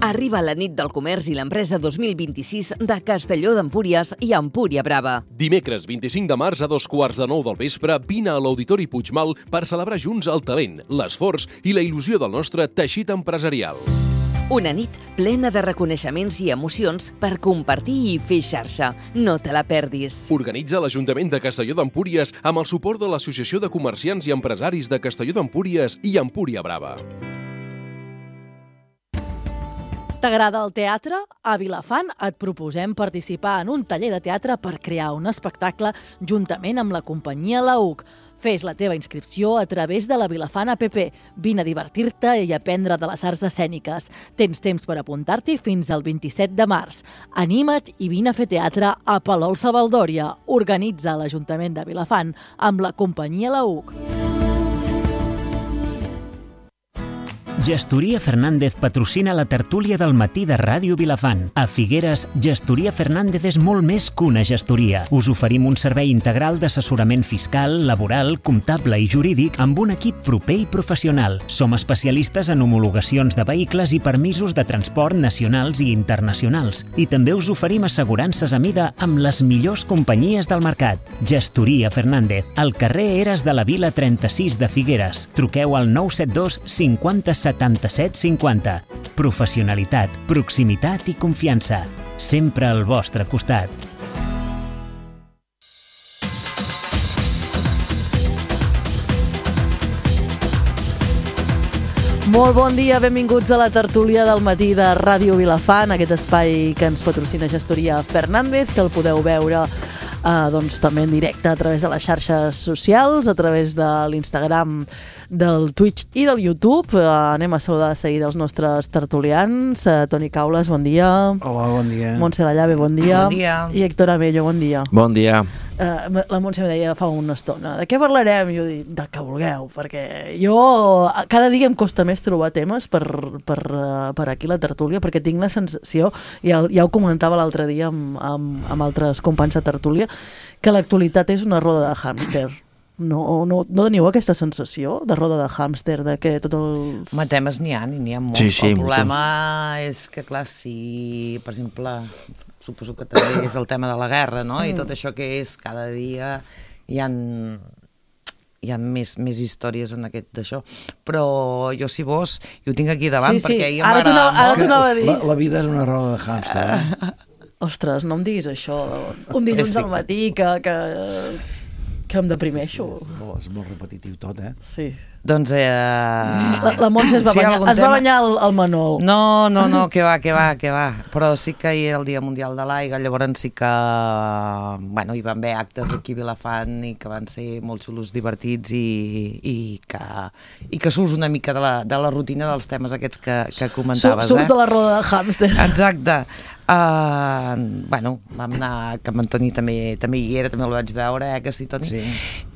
Arriba la nit del comerç i l'empresa 2026 de Castelló d'Empúries i Empúria Brava. Dimecres 25 de març a 8:15 del vespre, vine a l'Auditori Puigmal per celebrar junts el talent, l'esforç i la il·lusió del nostre teixit empresarial. Una nit plena de reconeixements i emocions per compartir i fer xarxa. No te la perdis. Organitza l'Ajuntament de Castelló d'Empúries amb el suport de l'Associació de Comerciants i Empresaris de Castelló d'Empúries i Empúria Brava. T'agrada el teatre? A Vilafant et proposem participar en un taller de teatre per crear un espectacle juntament amb la companyia Lauc. Fes la teva inscripció a través de la Vilafant app. Vine a divertir-te i aprendre de les arts escèniques. Tens temps per apuntar-t'hi fins al 27 de març. Anima't i vine a fer teatre a Palol-Savaldòria. Organitza l'Ajuntament de Vilafant amb la companyia Lauc. Gestoria Fernández patrocina la tertúlia del matí de Ràdio Vilafant. A Figueres, Gestoria Fernández és molt més que una gestoria. Us oferim un servei integral d'assessorament fiscal, laboral, comptable i jurídic amb un equip proper i professional. Som especialistes en homologacions de vehicles i permisos de transport nacionals i internacionals. I també us oferim assegurances a mida amb les millors companyies del mercat. Gestoria Fernández, al carrer Eres de la Vila 36 de Figueres. Truqueu al 972 50 77 50. Professionalitat, proximitat i confiança. Sempre al vostre costat. Molt bon dia, benvinguts a la tertúlia del matí de Ràdio Vilafant, aquest espai que ens patrocina Gestoria Fernández, que el podeu veure també en directe a través de les xarxes socials, a través de l'Instagram, del Twitch i del YouTube. Anem a saludar de seguida els nostres tertulians. Toni Caules, bon dia. Hola, bon dia. Montse Dallave, bon dia. Bon dia. I Héctor Abello, bon dia. Bon dia. La Montse em deia fa una estona, de què parlarem? I jo dic, de què vulgueu, perquè jo cada dia em costa més trobar temes per aquí la tertúlia, perquè tinc la sensació, ja ho comentava l'altre dia amb altres companys de tertúlia, que l'actualitat és una roda de hàmster. No teniu aquesta sensació de roda de hàmster, de que tots els... Home, temes n'hi ha molts. Sí, el problema és que, clar, si, per exemple, suposo que també és el tema de la guerra, no? I tot això que és cada dia hi ha més històries en aquest d'això. Però jo, si vols, jo ho tinc aquí davant, sí. perquè Ara t'ho anava a dir. La vida és una roda de hàmster. Ostres, no em diguis això. Un dilluns al matí que em deprimeixo. És molt repetitiu tot, Sí. Doncs... La Montse es va banyar al Manol. No, que va. Però sí que hi ha el Dia Mundial de l'Aigua, llavors sí que hi van haver actes aquí a Vilafant i que van ser molt xulos, divertits i que surts una mica de la rutina dels temes aquests que comentaves. Surts de la roda de hàmster. Exacte. Vam anar, que amb Antoni també hi era, també el vaig veure, que sí, Toni? Sí.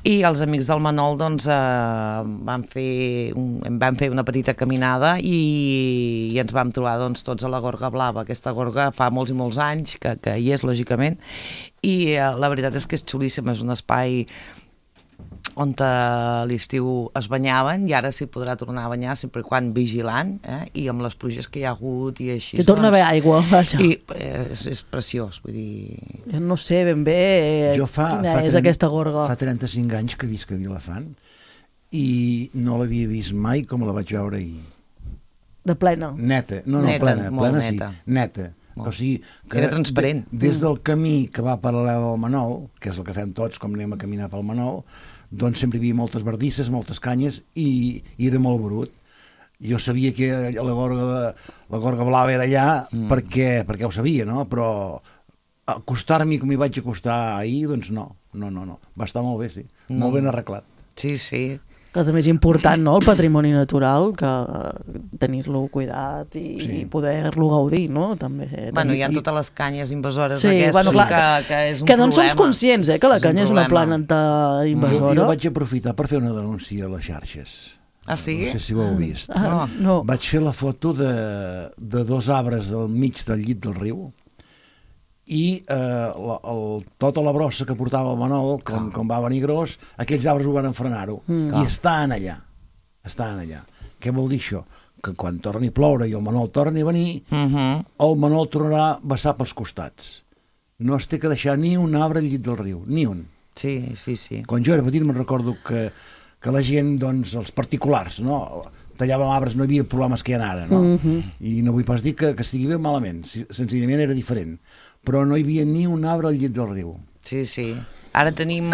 I els amics del Manol doncs vam fer una petita caminada i ens vam trobar doncs tots a la Gorga Blava. Aquesta gorga fa molts i molts anys que hi és, lògicament, i la veritat és que és xulíssim, és un espai on a l'estiu es banyaven i ara s'hi podrà tornar a banyar sempre quan vigilant, i amb les pluges que hi ha hagut i així. Que torna a haver aigua, vaja. I és preciós, vull dir... Jo no sé ben bé quina és aquesta gorga. Fa 35 anys que visc a Vilafant i no l'havia vist mai com la vaig veure ahir. De plena? Neta. Plena sí. Neta. O sigui, que era transparent. Des del camí que va paral·lel al Manol, que és el que fem tots com anem a caminar pel Manol, doncs sempre hi havia moltes bardisses, moltes canyes i era molt brut. Jo sabia que la Gorga Blava era allà perquè ho sabia, no? Però acostar-m'hi com hi vaig acostar ahir, doncs no. Va estar molt bé, sí. Molt ben arreglat. Sí. Que també és important, no?, el patrimoni natural, que tenir-lo cuidat i poder-lo gaudir, no?, també. Hi ha totes les canyes invasores aquestes, que és un problema. Que no en som conscients, que la canya és una planta invasora. Jo vaig aprofitar per fer una denúncia a les xarxes. Ah, sí? No sé si ho heu vist. No. Vaig fer la foto de 2 arbres al mig del llit del riu i tota la brossa que portava el Manol, com va venir gros, aquells arbres ho van frenar-ho. I estan allà. Què vol dir això? que quan torni a ploure i el Manol torni a venir, el Manol tornarà a vessar pels costats. No es té que deixar ni un arbre al llit del riu, ni un. Sí, sí, sí. Quan jo era petit me'n recordo que la gent, doncs, els particulars, no? Tallàvem arbres, no hi havia problemes que hi ha ara, no? I no vull pas dir que estigui bé malament, senzillament era diferent. Però no hi havia ni un arbre al llit del riu. Sí, sí. Ara tenim...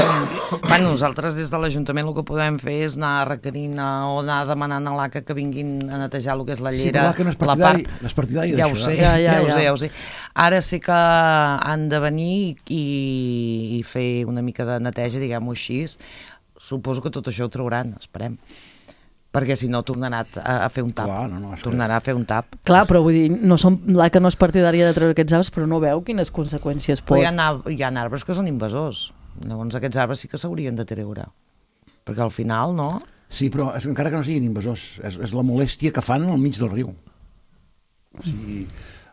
Bueno, nosaltres des de l'Ajuntament el que podem fer és anar requerint o anar demanant a l'ACA que vinguin a netejar el que és la llera. Sí, però l'ACA no és partidari ja d'això. Ja ho sé. Ara sí que han de venir i fer una mica de neteja, diguem-ho així. Suposo que tot això ho trauran, esperem. Perquè si no tornarà a fer un tap. Clar, tornarà a fer un tap. Clar, però vull dir, l'ACA no és partidària de treure aquests arbres, però no veu quines conseqüències pot... Però hi ha arbres que són invasors. Llavors aquests arbres sí que s'haurien de treure. Perquè al final, no? Sí, però encara que no siguin invasors, és la molèstia que fan al mig del riu. O sigui,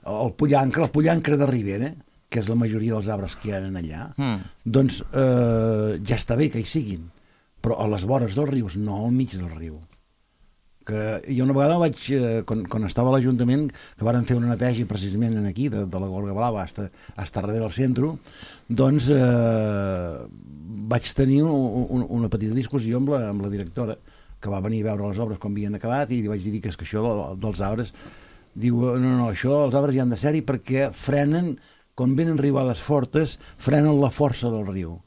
el pollancre de Ribera, que és la majoria dels arbres que hi ha allà, doncs ja està bé que hi siguin, però a les vores dels rius, no al mig del riu. Que jo una vegada vaig, quan estava a l'Ajuntament, que varen fer una neteja precisament aquí, de la Gorga Blava fins darrere del centre, doncs vaig tenir una petita discussió amb la directora, que va venir a veure les obres com havien acabat, i li vaig dir que és que això dels arbres, diu, no, això els arbres hi han de ser-hi perquè frenen, quan venen riuades fortes, frenen la força del riu.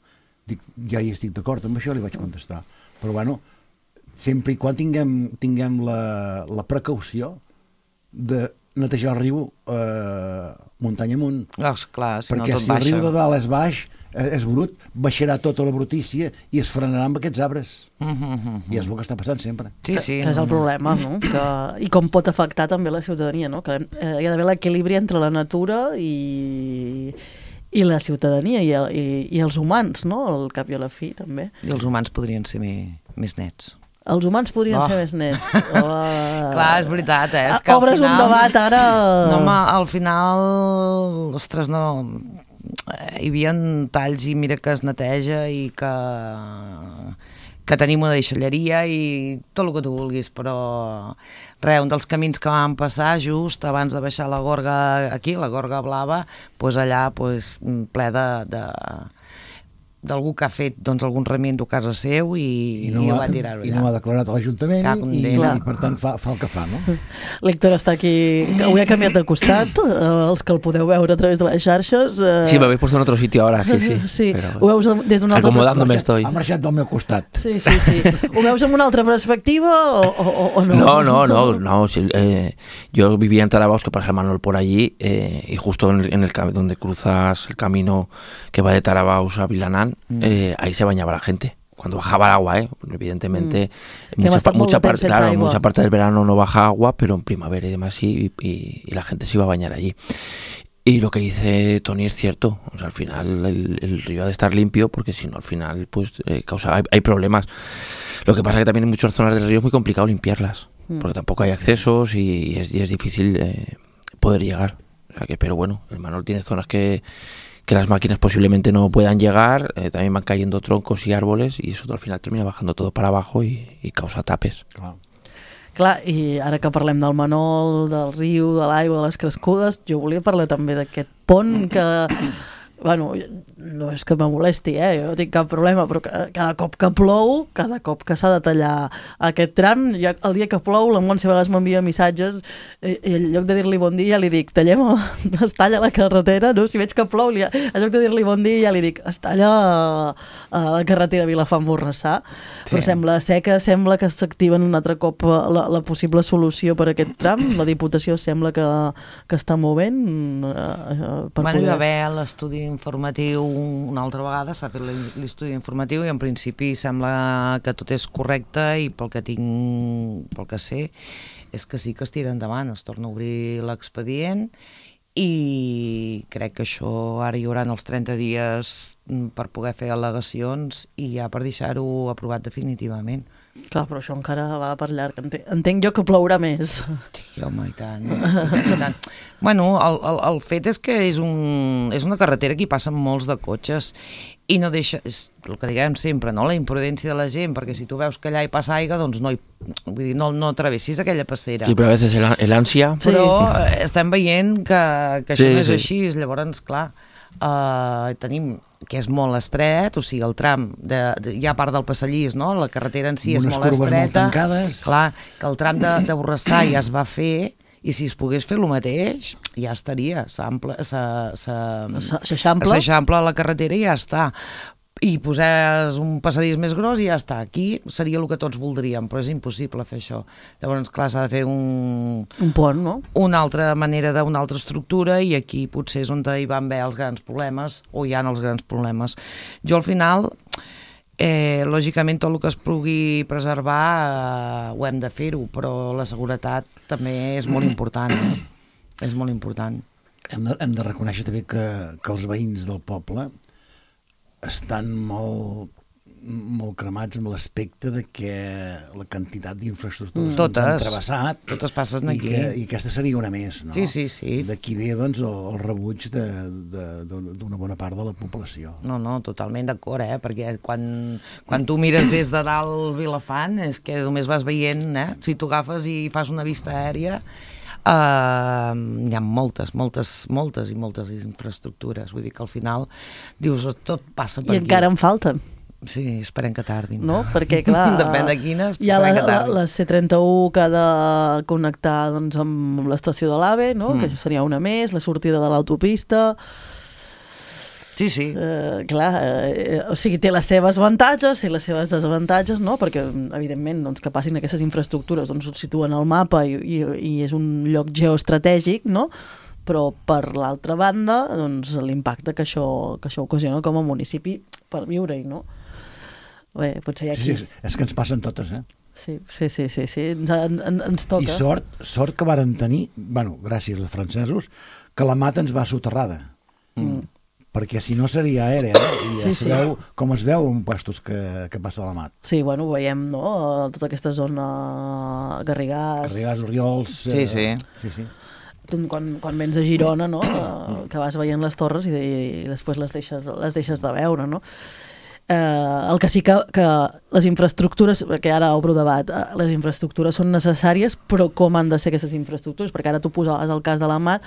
Dic, ja hi estic d'acord amb això, li vaig contestar. Però bueno, sempre i quan tinguem la precaució de netejar el riu muntanya amunt. Clar, si no perquè tot si baixa. el riu de dalt és baix, és brut, baixarà tota la brutícia i es frenarà amb aquests arbres. I és el que està passant sempre. Sí. Que és el problema, no? I com pot afectar també la ciutadania, no? Que hi ha d'haver l'equilibri entre la natura i la ciutadania i els humans, no? Al cap i a la fi, també. I els humans podrien ser més nets. Els humans podrien ser més nets. Clar, és veritat, És que obres un debat ara... No, home, al final, ostres, no... Hi havia talls i mira que es neteja i que tenim una deixalleria i tot el que tu vulguis, però un dels camins que vam passar just abans de baixar la Gorga aquí, la Gorga Blava, allà ple d'algú que ha fet algun remiendo a casa seu i ho va tirar allà. I no ho ha declarat a l'Ajuntament i per tant fa el que fa, no? L'Héctor està aquí, avui ha canviat de costat, els que el podeu veure a través de les xarxes. Sí, me habéis puesto en otro sitio ahora, sí. Sí, ho veus des d'una altra acomodándome perspectiva. estoy. Ha marxat del meu costat. Sí. Ho veus amb una altra perspectiva o no? No. Yo vivía en Tarabaos, que pasa el Manol por allí, y justo en el donde cruzas el camino que va de Tarabaos a Vilanán, ahí se bañaba la gente. Cuando bajaba el agua, evidentemente, mucha parte del verano no baja agua, pero en primavera y demás sí, y la gente se iba a bañar allí. Y lo que dice Tony es cierto, o sea, al final el río ha de estar limpio, porque si no, al final hay problemas. Lo que pasa es que también en muchas zonas del río es muy complicado limpiarlas, porque tampoco hay accesos y es difícil poder llegar. O sea que, pero bueno, el Manol tiene zonas que las máquinas posiblemente no puedan llegar, también van cayendo troncos y árboles y eso al final termina bajando todo para abajo y causa tapes. Clar, i ara que parlem del Manol, del riu, de l'aigua, de les crescudes, jo volia parlar també d'aquest pont que... Bueno, no és que me molesti, jo no tinc cap problema, però cada cop que plou, cada cop que s'ha de tallar aquest tram, el dia que plou, la Montse a vegades m'envia missatges i en lloc de dir-li bon dia li dic, es talla la carretera, no? Si veig que plou, en lloc de dir-li bon dia ja li dic, es talla la carretera Vilafant-Borrassà, però sembla que s'activen un altre cop la possible solució per aquest tram, la Diputació sembla que està movent per poder... Hi va haver l'estudi informatiu una altra vegada, s'ha fet l'estudi informatiu i en principi sembla que tot és correcte i pel que sé és que sí que es tira endavant, es torna a obrir l'expedient i crec que això ara hi haurà els 30 dies per poder fer al·legacions i ja per deixar-ho aprovat definitivament. Clar, però això encara va per llarg. Entenc jo que plourà més. Sí, home, i tant. I tant. Bueno, el fet és que és una carretera que hi passen molts de cotxes i no deixa, és el que diguem sempre, no? La imprudència de la gent, perquè si tu veus que allà hi passa aigua, doncs no travessis aquella passera. Sí, però a vegades el ansia... Però estem veient que això no és així, llavors, clar, tenim que és molt estret, o sigui, el tram hi ha part del Passallís, no? La carretera en si és molt estreta, clar, que el tram de Borrassà ja es va fer i si es pogués fer el mateix ja estaria, s'eixampla la carretera i ja està, i posés un passadís més gros i ja està. Aquí seria el que tots voldríem, però és impossible fer això. Llavors, clar, s'ha de fer un pont, no? Una altra manera d'una altra estructura, i aquí potser és on hi van haver els grans problemes, o hi ha els grans problemes. Jo al final, lògicament tot el que es pugui preservar ho hem de fer-ho, però la seguretat també és molt important, és molt important. Hem de reconèixer també que els veïns del poble estan molt cremats amb l'aspecte de que la quantitat d'infraestructures que han travessat totes passen aquí. I aquesta seria una més, no? Sí. D'aquí ve doncs, el rebuig d'una bona part de la població. No, totalment d'acord, perquè quan tu mires des de dalt Vilafant és que només vas veient, si tu agafes i fas una vista aèria, hi ha moltes infraestructures, vull dir que al final dius, tot passa per aquí. I encara en falten. Sí, esperem que tardin. No? Perquè, clar, depèn de quines, hi ha la C31 que ha de connectar doncs, amb l'estació de l'AVE, no? Que això seria una més, la sortida de l'autopista... Sí. Clar, o sigui, té les seves avantatges i les seves desavantatges, no? Perquè, evidentment, doncs, que passin aquestes infraestructures, doncs, ho situen al mapa i és un lloc geoestratègic, no? Però, per l'altra banda, doncs, l'impacte que això ocasiona com a municipi per viure-hi, no? Bé, potser hi ha aquí... Sí, és que ens passen totes, Sí, ens toca. I sort que vàrem tenir, gràcies als francesos, que la Mat ens va soterrada. Perquè si no seria aèrea, i ja sabeu com es veu en puestos que passa a la Mat. Sí, ho veiem, no? Tota aquesta zona Garrigàs, Oriols... Sí. Quan vens a Girona, no? Que vas veient les torres i després les deixes de veure, no? El que sí que les infraestructures, que ara obro debat, les infraestructures són necessàries, però com han de ser aquestes infraestructures? Perquè ara tu posaves el cas de la Mat,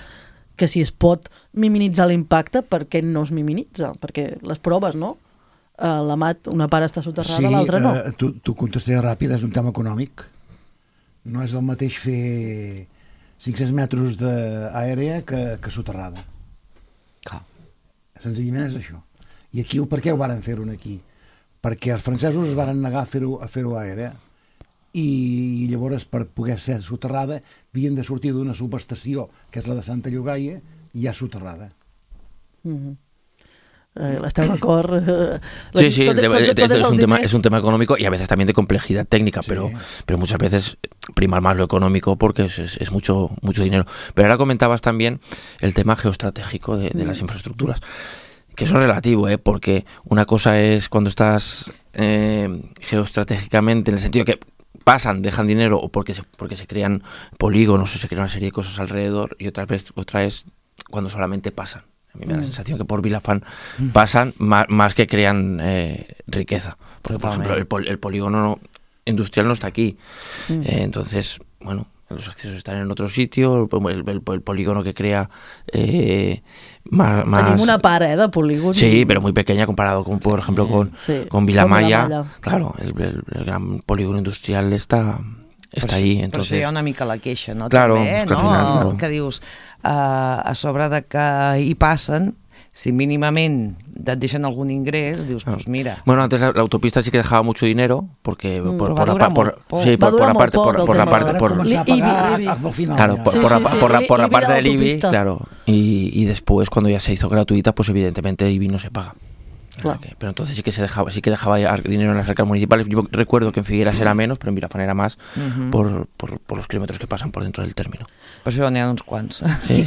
que si es pot minimitzar l'impacte, per què no es minimitza? Perquè les proves, no? La Mat, una part està soterrada, l'altra no. Tu contestaré ràpid, és un tema econòmic. No és el mateix fer 500 metres d'aèrea que soterrada. Senzillament és això. I aquí, per què ho varen fer-ho aquí? Perquè els francesos es varen negar a fer-ho aèrea, i llavors per poder ser soterrada havien de sortir d'una subestació que és la de Santa Llogaia i ja soterrada. ¿Estás de acuerdo? Sí, es un tema económico y a veces también de complejidad técnica, pero muchas veces prima más lo económico porque es mucho dinero. Pero ahora comentabas también el tema geoestratégico de las infraestructuras, que eso es relativo, porque una cosa es cuando estás geoestratégicamente, en el sentido que dejan dinero o porque se crean polígonos o se crean una serie de cosas alrededor, y otra es cuando solamente pasan. A mí me da la sensación que por Vilafant pasan más que crean riqueza. Porque, por ejemplo, el polígono industrial no está aquí. Entonces, bueno, los accesos están en otro sitio, el polígono que crea más... Tenim una part, de polígon. Sí, pero muy pequeña comparado con, por ejemplo, con Vilamalla. Claro, el gran polígono industrial está ahí. Entonces... Per això hi ha una mica la queixa, no? Claro, també, es que al final, claro. Que dius, a sobre de que hi passen, si mínimament et deixen algún ingrés, dius, pues mira. Bueno, antes la autopista sí que dejaba mucho dinero, porque por la parte del IBI, claro, y después cuando ya se hizo gratuita, pues evidentemente IBI no se paga. Claro. Pero entonces sí que dejaba dinero en las arcas municipales. Yo recuerdo que en Figueras era menos, pero en Vilafant era más, por los kilómetros que pasan por dentro del término. Per això n'hi ha uns quants. Sí.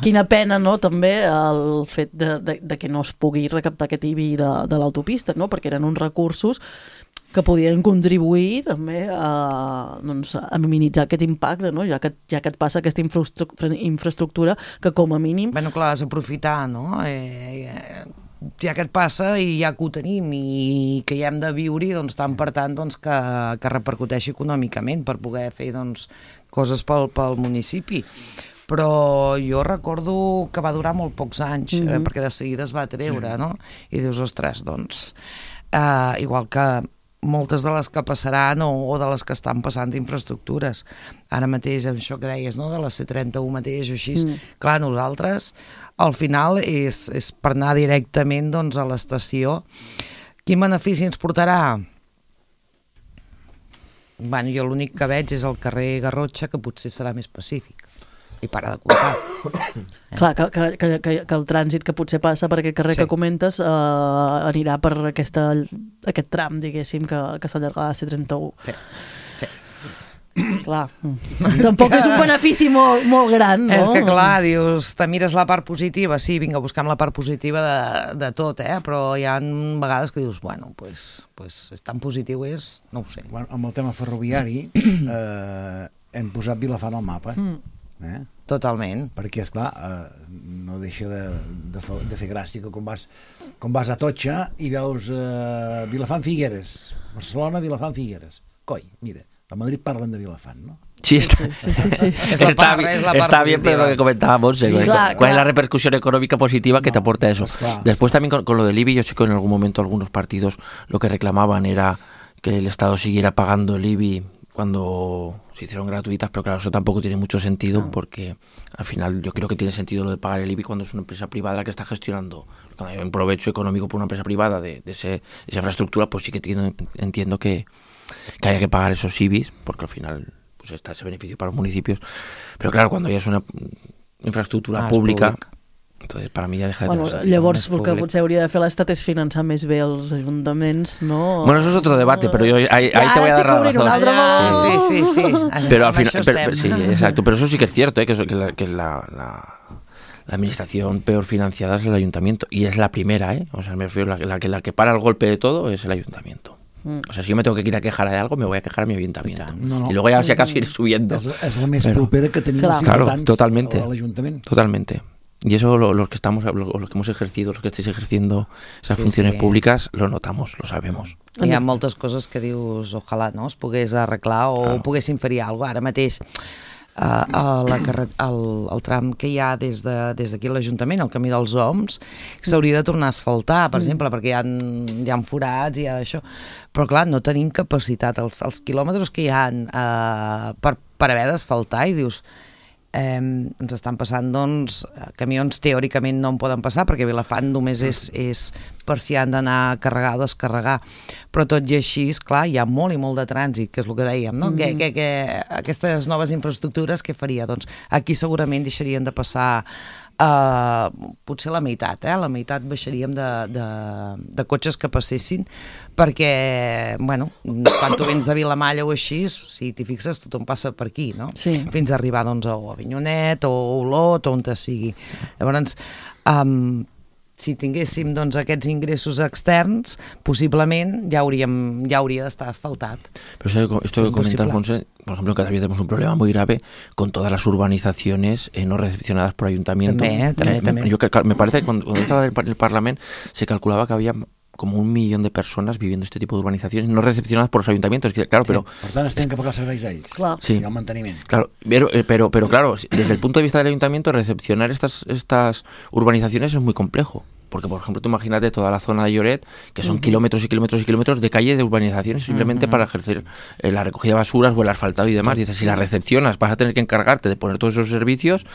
Quina pena, no?, també el fet de que no es pugui recaptar aquest IBI de l'autopista, no?, perquè eren uns recursos que podien contribuir també a minimitzar aquest impacte, no? Ja que et passa aquesta infraestructura que com a mínim... Bueno, clar, has d'aprofitar, no? Ja que et passa i ja que ho tenim i que hi hem de viure, doncs tant per tant doncs, que repercuteixi econòmicament per poder fer doncs, coses pel municipi. Però jo recordo que va durar molt pocs anys, perquè de seguida es va treure, no? I dius, ostres, doncs, igual que moltes de les que passaran o de les que estan passant d'infraestructures. Ara mateix, això que deies, no? De la C31 mateix o així, clar, nosaltres, al final, és per anar directament doncs, a l'estació. Quin benefici ens portarà? Bueno, jo l'únic que veig és el carrer Garrotxa, que potser serà més pacífic. I para de comptar. Clar, que el trànsit que potser passa per aquest carrer que comentes anirà per aquest tram, diguéssim, que s'allargarà a C31. Sí. Clar, tampoc és un benefici molt gran, no? És que clar, dius, te mires la part positiva, sí, vinga, buscam la part positiva de tot, però hi ha vegades que dius, bueno, pues tan positiu és, no ho sé. Bueno, amb el tema ferroviari hem posat Vilafant al mapa, Totalment. perquè esclar, no deixa de fer gràcia que quan vas a Totxa i veus Vilafant Figueres, Barcelona, Vilafant Figueres, coi, mira, a Madrid parlen de Vilafant, ¿no? Sí, está bien, pero lo que comentábamos, sí, ¿cuál es la repercusión económica positiva que te aporta eso? Claro. Después también con lo del IBI, yo sé que en algún momento algunos partidos lo que reclamaban era que el Estado siguiera pagando el IBI cuando se hicieron gratuitas, pero claro, eso tampoco tiene mucho sentido porque al final yo creo que tiene sentido lo de pagar el IBI cuando es una empresa privada la que está gestionando. Cuando hay un provecho económico por una empresa privada de esa infraestructura, pues sí que entiendo que haya que pagar esos IBIs, porque al final pues está ese beneficio para los municipios. Pero claro, cuando ya es una infraestructura pública, entonces para mi ja deja de tener sentido. Llavors el que potser hauria de fer l'Estat és finançar més bé els ajuntaments, no? Bueno, eso es otro debate, pero yo ahí te voy a dar razón. Sí. Pero al final, sí, exacto, pero eso sí que es cierto, que la administración peor financiada es el ayuntamiento, y es la primera, o sea, me refiero, la que para el golpe de todo es el ayuntamiento. O sea, si yo me tengo que ir a quejar de algo, me voy a quejar a mi ayuntamiento. No. Y luego ya si acaso iré subiendo. És la més propera que tenim els ciutadans a l'Ajuntament. Totalmente. Y eso los que hemos ejercido, los que estáis ejerciendo esas funciones públicas, lo notamos, lo sabemos. Hi ha moltes coses que dius, ojalà no es pogués arreglar o poguessin fer alguna cosa. Ara mateix el tram que hi ha des d'aquí a l'Ajuntament, el camí dels Oms, s'hauria de tornar a asfaltar, per exemple, perquè hi ha forats i hi ha això. Però clar, no tenim capacitat. Els quilòmetres que hi ha per haver d'asfaltar, i dius, ens estan passant, doncs, camions teòricament no en poden passar perquè Vilafant només és per si han d'anar a carregar o descarregar, però tot i així, clar, hi ha molt i molt de trànsit, que és el que dèiem, no? Que aquestes noves infraestructures què faria? Doncs aquí segurament deixarien de passar potser la meitat baixaríem de cotxes que passessin, perquè, bueno, quan tu vens de Vilamalla o així, si t'hi fixes, tothom passa per aquí, no? Sí. Fins a arribar, doncs, a Avinyonet o a Olot o on te sigui. Llavors, si tinguéssim doncs, aquests ingressos externs, possiblement ja hauria d'estar asfaltat. Pero esto que comentas, Monse, por ejemplo, en Cadavid tenemos un problema muy grave con todas las urbanizaciones no recepcionadas por ayuntamientos. También. Me parece que cuando estaba en el Parlamento se calculaba que había como 1 millón de personas viviendo este tipo de urbanizaciones no recepcionadas por los ayuntamientos. Claro, pero per tant, es tenen que pagar serveis a ells. Clar. Sí. I el manteniment. Claro, pero claro, desde el punto de vista del ayuntamiento, recepcionar estas urbanizaciones es muy complejo. Porque, por ejemplo, tú imagínate toda la zona de Lloret, que son kilómetros y kilómetros y kilómetros de calle de urbanizaciones simplemente para ejercer la recogida de basuras o el asfaltado y demás. Dices, si la recepcionas, vas a tener que encargarte de poner todos esos servicios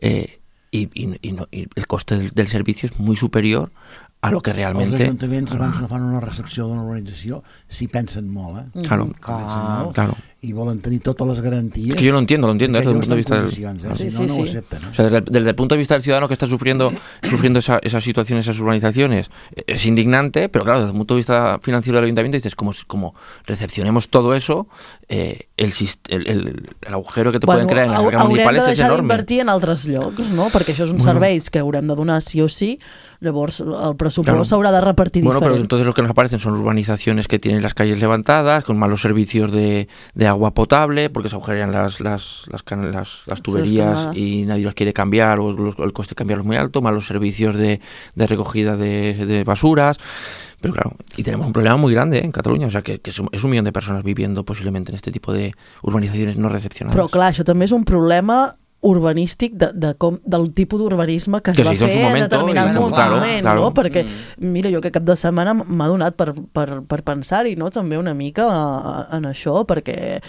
y el coste del servicio es muy superior a lo que realmente... Els ajuntaments abans no fan una recepció d'una urbanització si pensen molt, Claro. I volen tenir totes les garanties. Es que yo lo entiendo desde el punto de vista del... Si no, no ho accepten. O sea, desde el punto de vista del ciudadano que está sufriendo esa situación, esas urbanizaciones, es indignante, pero claro, desde el punto de vista financiero del ayuntamiento dices, como recepcionemos todo eso, el agujero que te pueden crear en las arcas municipales es enorme. Haurem de deixar d'invertir en altres llocs, no? Perquè això és un serveis que haurem de donar sí o sí. Llavors el però suposo Claro. s'haurà de repartir Bueno, pero diferent. entonces lo que nos aparecen son urbanizaciones que tienen las calles levantadas, con malos servicios de agua potable, porque se agujerean las tuberías canadas. y nadie los quiere cambiar, o el coste de cambiarlos es muy alto, malos servicios de recogida de basuras. Pero claro, y tenemos un problema muy grande en Cataluña, o sea, que es 1 millón de personas viviendo posiblemente en este tipo de urbanizaciones no recepcionadas. Però clar, això també és un problema urbanístic del tipus d'urbanisme que es Que va se hizo en fer su en momento, determinat y moment, claro. no? Perquè, mira, jo que cap de setmana m'ha donat per pensar-hi, no? També una mica en això, perquè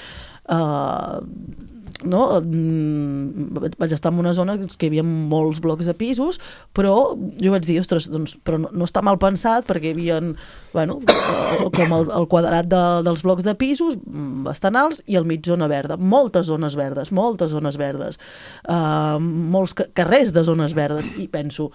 no? Vaig estar en una zona que hi havia molts blocs de pisos, però jo vaig dir, ostres, doncs, però no està mal pensat, perquè hi havia, bueno, com el quadrat dels blocs de pisos bastant alts i al mig zona verda, moltes zones verdes, molts carrers de zones verdes, i penso,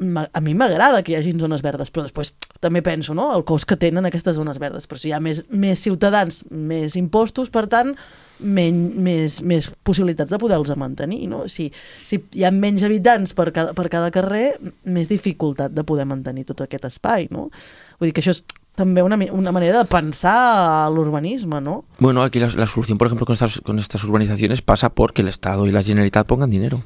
a mi m'agrada que hi hagin zones verdes, però després també penso, no?, el cost que tenen aquestes zones verdes, però si hi ha més ciutadans, més impostos, per tant, més possibilitats de poder-los mantenir, no? Si hi ha menys habitants per cada carrer, més dificultat de poder mantenir tot aquest espai, no? Vull dir que això és també una manera de pensar l'urbanisme, ¿no? Bueno, aquí la solución, por ejemplo, con estas urbanizaciones pasa porque el Estado y la Generalitat pongan dinero.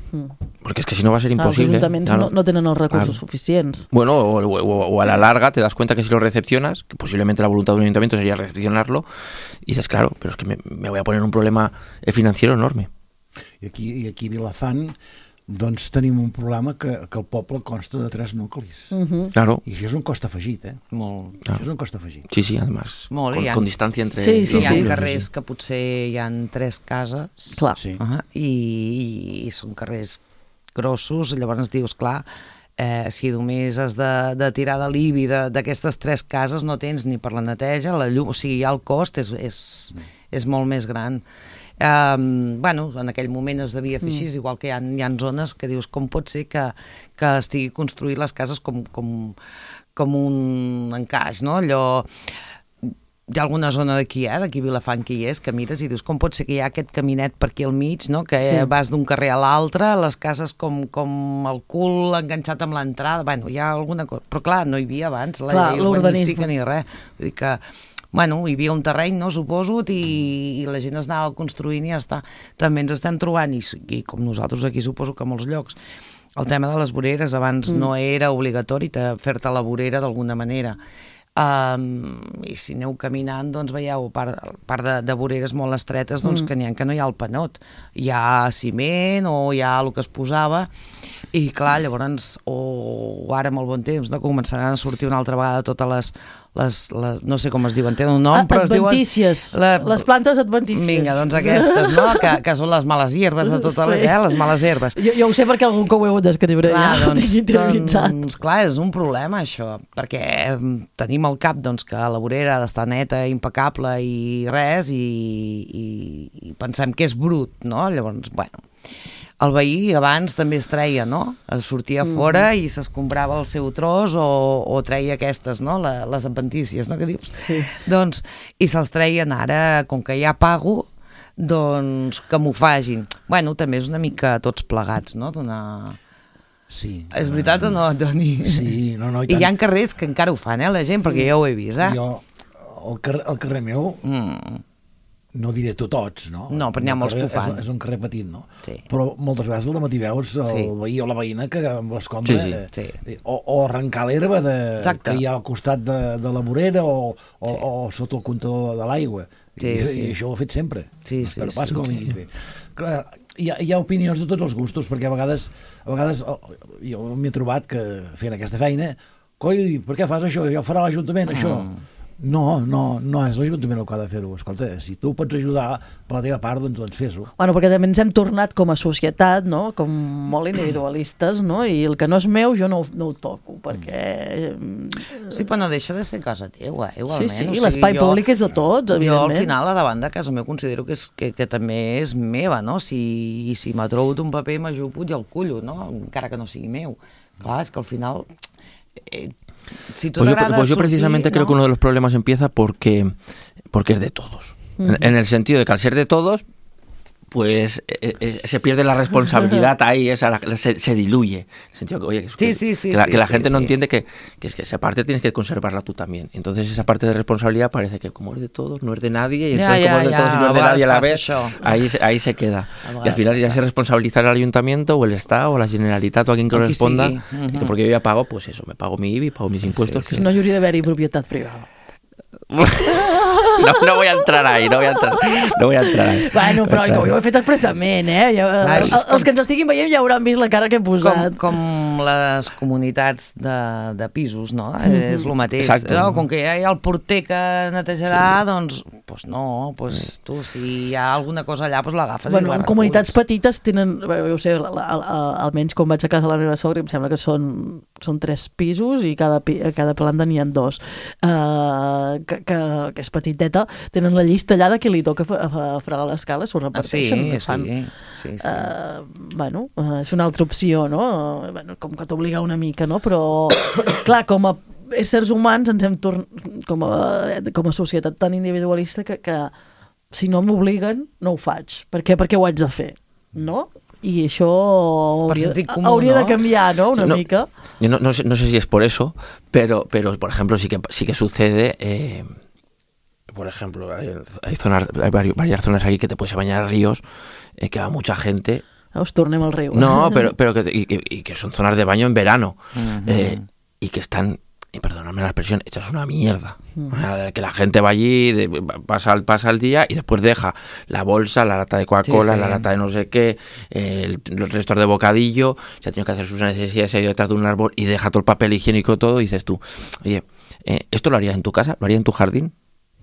Porque es que si no va a ser imposible. Los ayuntamientos claro. no tienen los recursos suficientes. Bueno, o a la larga te das cuenta que si lo recepcionas, que posiblemente la voluntad de un ayuntamiento sería recepcionarlo, y dices, claro, pero es que me voy a poner un problema financiero enorme. I aquí a Vilafant doncs tenim un problema que el poble consta de 3 nuclis. Claro. I això és un cost afegit, Molt. Això és un cost afegit. Sí, además. Molt, con distancia entre Sí, los Hi ha núcleos, carrers que potser hi ha 3 cases. Clar. Sí. I són carrers grossos, llavors dius, clar, si només has de tirar de l'IBI d'aquestes 3 cases no tens ni per la neteja, la llum, o sigui, ja el cost és molt més gran. Bueno, en aquell moment es devia fer així, igual que hi ha zones que dius com pot ser que estigui construït les cases com un encaix, no? Allò, hi ha alguna zona d'aquí a Vilafant que hi és, que mires i dius com pot ser que hi ha aquest caminet per aquí al mig, no? Que vas d'un carrer a l'altre, les cases com el cul enganxat amb l'entrada, bueno, hi ha alguna cosa, però clar, no hi havia abans la llei urbanística ni res, vull dir que bueno, hi havia un terreny, no, suposo, i la gent es anava construint i ja està. També ens estem trobant, i com nosaltres aquí suposo que a molts llocs, el tema de les voreres, abans no era obligatori fer-te la vorera d'alguna manera. I si aneu caminant, doncs veieu part de voreres molt estretes doncs, que no hi ha el panot. Hi ha ciment o hi ha el que es posava, i clar, llavors, o ara amb el bon temps, no, començaran a sortir una altra vegada totes les no sé com es diuen, tenen un nom, però es diuen... Adventícies, les plantes adventícies. Vinga, doncs aquestes, no? Que són les males hierbes de tota la vida, les males herbes. Jo ho sé perquè algun que ho heu d'escriure ja, doncs, clar, és un problema això, perquè tenim al cap doncs, que la vorera ha d'estar neta, impecable i res, i pensem que és brut, no? Llavors, bueno... El veí abans també es treia, no? Sortia fora i s'escombrava el seu tros o treia aquestes, no? Les adventícies, no? Que dius? Sí. Doncs, i se'ls treien ara, com que ja pago, doncs que m'ho facin. Bueno, també és una mica tots plegats, no? Sí. És veritat o no, Toni? Sí, no, i tant. I hi ha carrers que encara ho fan, la gent, perquè jo ho he vist, Jo, el carrer meu... No diré tots, no? No, però n'hi ha molts que ho fan. És un carrer petit, no? Sí. Però moltes vegades al matí veus el veí o la veïna que amb l'escombra... Sí. O arrencar l'herba que hi ha al costat de la vorera o sota el comptador de l'aigua. I això ho he fet sempre. Però passa com ho hagi fet. Clar, hi ha opinions de tots els gustos, perquè a vegades jo m'he trobat que fent aquesta feina, coi, per què fas això? Ja ho farà l'Ajuntament, això. No és l'Ajuntament el que ha de fer-ho. Escolta, si tu pots ajudar per la teva part, doncs fes-ho. Bueno, perquè també ens hem tornat com a societat, no? Com molt individualistes, no? I el que no és meu jo no ho toco, perquè... Sí, però no deixa de ser casa teua, igualment. Sí, l'espai públic és de tots, evidentment. Jo al final a davant de casa meu considero que també és meva, no? Si m'ha trobat un paper m'ajupo i el cullo, no? Encara que no sigui meu. Clar, és que al final... Si pues yo precisamente creo que uno de los problemas empieza porque es de todos. En el sentido de que al ser de todos, pues se pierde la responsabilidad ahí, se diluye. En el sentido que, oye, que la gente no entiende que es que esa parte tienes que conservarla tú también. Entonces esa parte de responsabilidad parece que como es de todos, no es de nadie, y entonces como es de todos y no es de nadie a la vez, ahí se queda. Y al final ya se responsabiliza el ayuntamiento o el Estado o la Generalitat o a quien corresponda, que porque yo ya pago, pues eso, me pago mi IBI, pago mis impuestos. Si no hi hauria d'haver-hi propietat privada. No voy a entrar ahí. Bueno, però que ho he fet expressament, els que ens estiguin veient ja hauran vist la cara que he posat. Com les comunitats de pisos, no? És el mateix. No, com que hi ha el porter que netejarà, doncs no, tu, si hi ha alguna cosa allà, l'agafes i la reculls. Comunitats petites tenen, jo sé, almenys quan vaig a casa de la meva sogra, em sembla que són 3 pisos i cada planta n'hi ha 2. Que és petiteta, tenen la llista allà de qui li toca fregar l'escala, s'ho reparteixen. Sí. Bueno, és una altra opció, no? Bueno, com que t'obliga una mica, no? Però, clar, com a éssers humans ens hem tornat, com a societat tan individualista, que si no m'obliguen, no ho faig. Per què? Perquè ho haig de fer, no? Y eso habría de cambiar, ¿no? Una mica. Yo no sé si es por eso, pero por ejemplo sí que sucede. Por ejemplo, hay varias zonas aquí que te puedes bañar a ríos, que va mucha gente. Os tornem al riu. No, pero que son zonas de baño en verano, y que están, y perdóname la expresión, hechas una mierda. Que la gente va allí, pasa el día y después deja la bolsa, la lata de Coca-Cola, la lata de no sé qué, los restos de bocadillo, se ha tenido que hacer sus necesidades, se ha ido detrás de un árbol y deja todo el papel higiénico, todo, y dices tú, oye, ¿esto lo harías en tu casa? ¿Lo harías en tu jardín?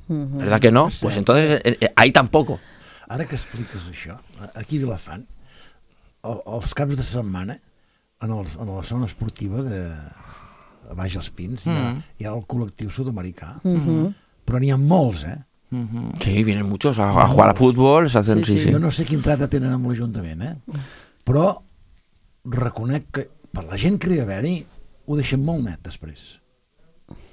¿Verdad que no? Pues entonces ahí tampoco. Ara que expliques això, aquí a Vilafant, els caps de setmana, en la zona esportiva de a baix als Pins, hi ha el col·lectiu sud-americà, però n'hi ha molts, Sí, vienen muchos a jugar a fútbol, hacen, sí. Jo no sé quin tracte tenen amb l'Ajuntament, però reconec que per la gent que hi ha d'haver-hi ho deixen molt net després.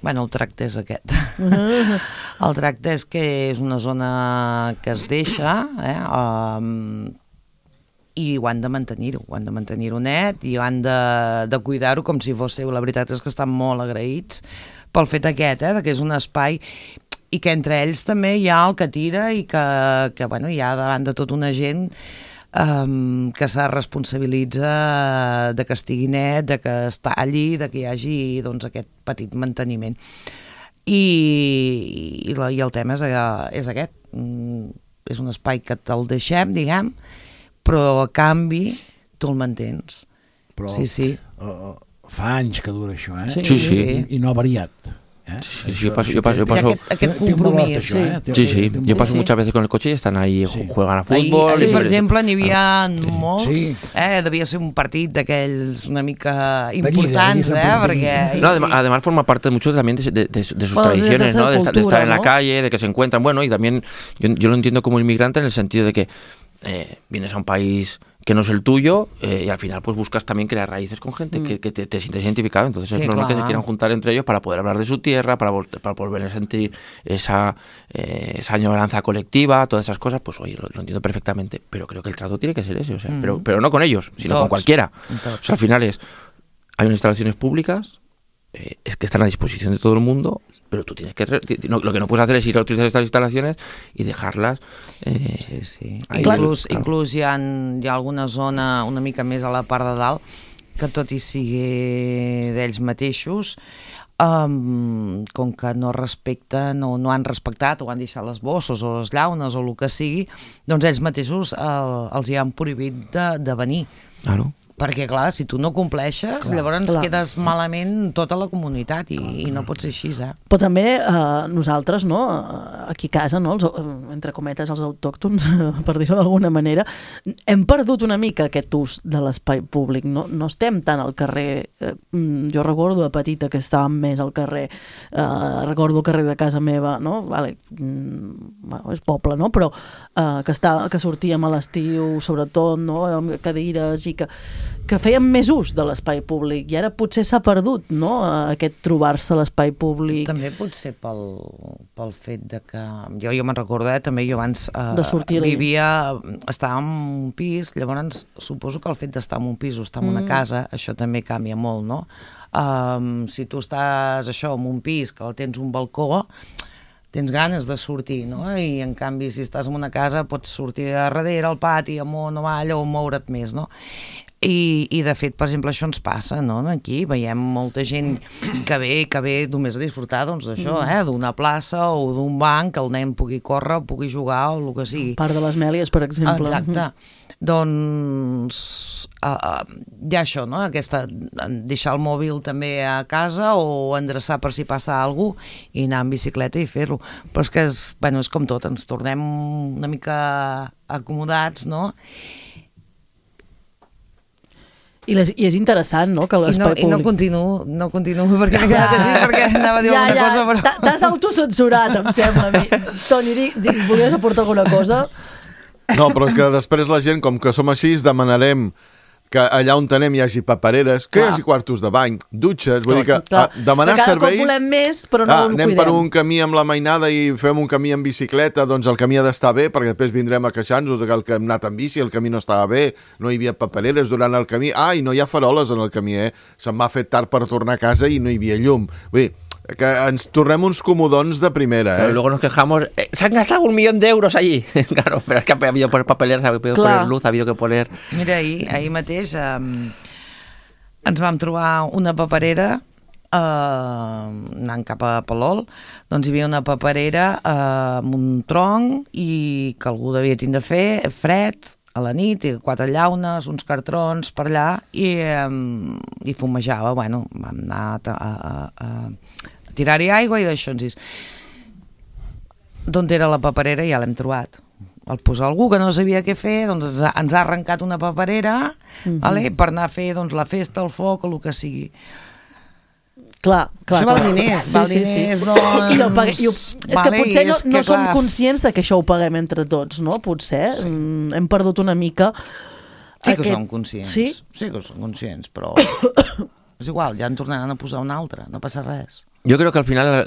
Bueno, el tracte és aquest. El tracte és que és una zona que es deixa, i ho han de mantenir-ho net, i ho han de cuidar-ho com si fos seu. La veritat és que estan molt agraïts pel fet aquest, que és un espai, i que entre ells també hi ha el que tira i que bueno, hi ha davant de tota una gent que se responsabilitza de que estigui net, de que es talli, de que hi hagi doncs, aquest petit manteniment. I el tema és aquest. És un espai que te'l deixem, diguem, però a canvi tu el mantens. Però sí. Fa anys que dura això, Sí. I no ha variat. Sí, yo paso aquest compromís. Sí. Yo paso muchas veces con el coche y están ahí, juegan a fútbol. Ahir, per exemple, n'hi havia molts. Devia ser un partit d'aquells una mica importants, perquè... No, además forma parte mucho también de sus tradiciones, ¿no? De estar en la calle, de que se encuentran. Bueno, y también yo lo entiendo como inmigrante en el sentido de que vienes a un país que no es el tuyo, y al final pues buscas también crear raíces con gente que te sientes identificado, entonces es normal que se quieran juntar entre ellos para poder hablar de su tierra, para volver a sentir esa añoranza colectiva, todas esas cosas. Pues oye, lo entiendo perfectamente, pero creo que el trato tiene que ser ese, o sea, pero no con ellos, sino con cualquiera. O sea, al final hay unas instalaciones públicas, es que están a disposición de todo el mundo, pero tú tienes que... lo que no puedes hacer es ir a utilizar estas instalaciones y dejarlas... Sí. Inclús hi ha alguna zona una mica més a la part de dalt que tot i sigui d'ells mateixos, com que no respecten o no han respectat o han deixat les bosses o les llaunes o el que sigui, doncs ells mateixos els hi han prohibit de venir. Claro. Perquè, clar, si tu no compleixes, llavors quedes malament tota la comunitat i no pot ser així, Però també nosaltres, no, aquí a casa, no, entre cometes, els autòctons, per dir-ho d'alguna manera, hem perdut una mica aquest ús de l'espai públic. No estem tant al carrer. Jo recordo de petita que estàvem més al carrer. Recordo el carrer de casa meva, no? Vale, és poble, no? Però que sortíem a l'estiu, sobretot, no? Amb cadires i que... que fèiem més ús de l'espai públic i ara potser s'ha perdut, no?, aquest trobar-se a l'espai públic. També potser pel fet de que... Jo me'n recordo, també jo abans estava en un pis, llavors suposo que el fet d'estar en un pis o estar en una casa, això també canvia molt, no? Si tu estàs en un pis que tens un balcó, tens ganes de sortir, no? I en canvi si estàs en una casa pots sortir a darrere, al pati, amunt o avall, o moure't més, no? I de fet, per exemple, això ens passa, no? Aquí veiem molta gent que ve només a disfrutar d'això, d'una plaça o d'un banc, que el nen pugui córrer, pugui jugar o el que sigui. Parc de les Mèlies, per exemple. Exacte. Doncs hi ha això, no? Deixar el mòbil també a casa o endreçar per si passa alguna cosa i anar en bicicleta i fer-lo. Però és que és com tot, ens tornem una mica acomodats, no? I és interessant, no?, que l'espai públic... I no continuo perquè m'he quedat així, perquè anava a dir alguna cosa, però... T'has autocensurat, em sembla a mi. Toni, volies aportar alguna cosa? No, però és que després la gent, com que som així, demanarem que allà on tenem hi hagi papereres, que hi hagi quartos de bany, dutxes, vull dir que demanar serveis... Cada cop volem més, però no el cuidem. Anem per un camí amb la mainada i fem un camí en bicicleta, doncs el camí ha d'estar bé, perquè després vindrem a queixar-nos que el que hem anat en bici, el camí no estava bé, no hi havia papereres durant el camí, i no hi ha faroles en el camí, se'm m'ha fet tard per tornar a casa i no hi havia llum. Vull dir, que ens tornem uns comodons de primera, Pero luego nos quejamos, se han gastado 1.000.000 euros allí. Claro, pero es que ha habido que poner papeleras, ha habido que poner luz, ha habido que poner... Mira, ahir mateix ens vam trobar una paperera anant cap a Palol, doncs hi havia una paperera amb un tronc i que algú devia tindre fred a la nit, i 4 llaunes, uns cartrons per allà i fumejava. Bueno, vam anar a tirar-hi aigua i d'això ens dius d'on era la paperera, ja l'hem trobat. El posa algú que no sabia què fer, doncs ens ha arrencat una paperera per anar a fer la festa, el foc o el que sigui. Clar. Això val diners, doncs... És que potser no som conscients de que això ho paguem entre tots, no? Potser hem perdut una mica... Sí que som conscients, sí que som conscients, però és igual, ja en tornaran a posar una altra, no passa res. Yo creo que al final,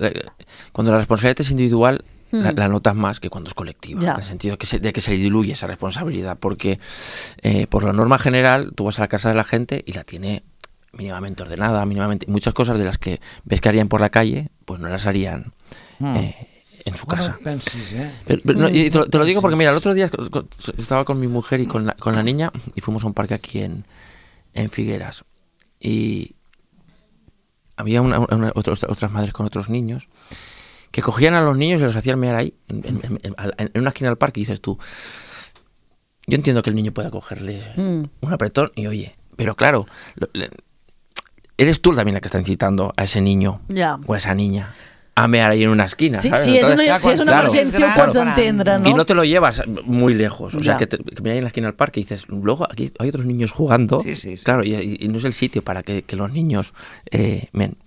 cuando la responsabilidad es individual, la notas más que cuando es colectiva, en el sentido de que se diluye esa responsabilidad, porque por la norma general tú vas a la casa de la gente y la tiene mínimamente ordenada, muchas cosas de las que ves que harían por la calle, pues no las harían en su casa. Pero y te lo digo porque mira, el otro día estaba con mi mujer y con la niña y fuimos a un parque aquí en Figueras y había otras madres con otros niños que cogían a los niños y los hacían mear ahí en una esquina del parque y dices tú, yo entiendo que el niño pueda cogerle un apretón y oye, pero claro, eres tú también la que está incitando a ese niño o a esa niña a mear ahí en una esquina. Sí, si es una emergencia ho pots entendre, ¿no? Y no te lo llevas muy lejos. O sea, que me hay en la esquina del parque y dices, luego aquí hay otros niños jugando. Sí. Claro, y no es el sitio para que los niños...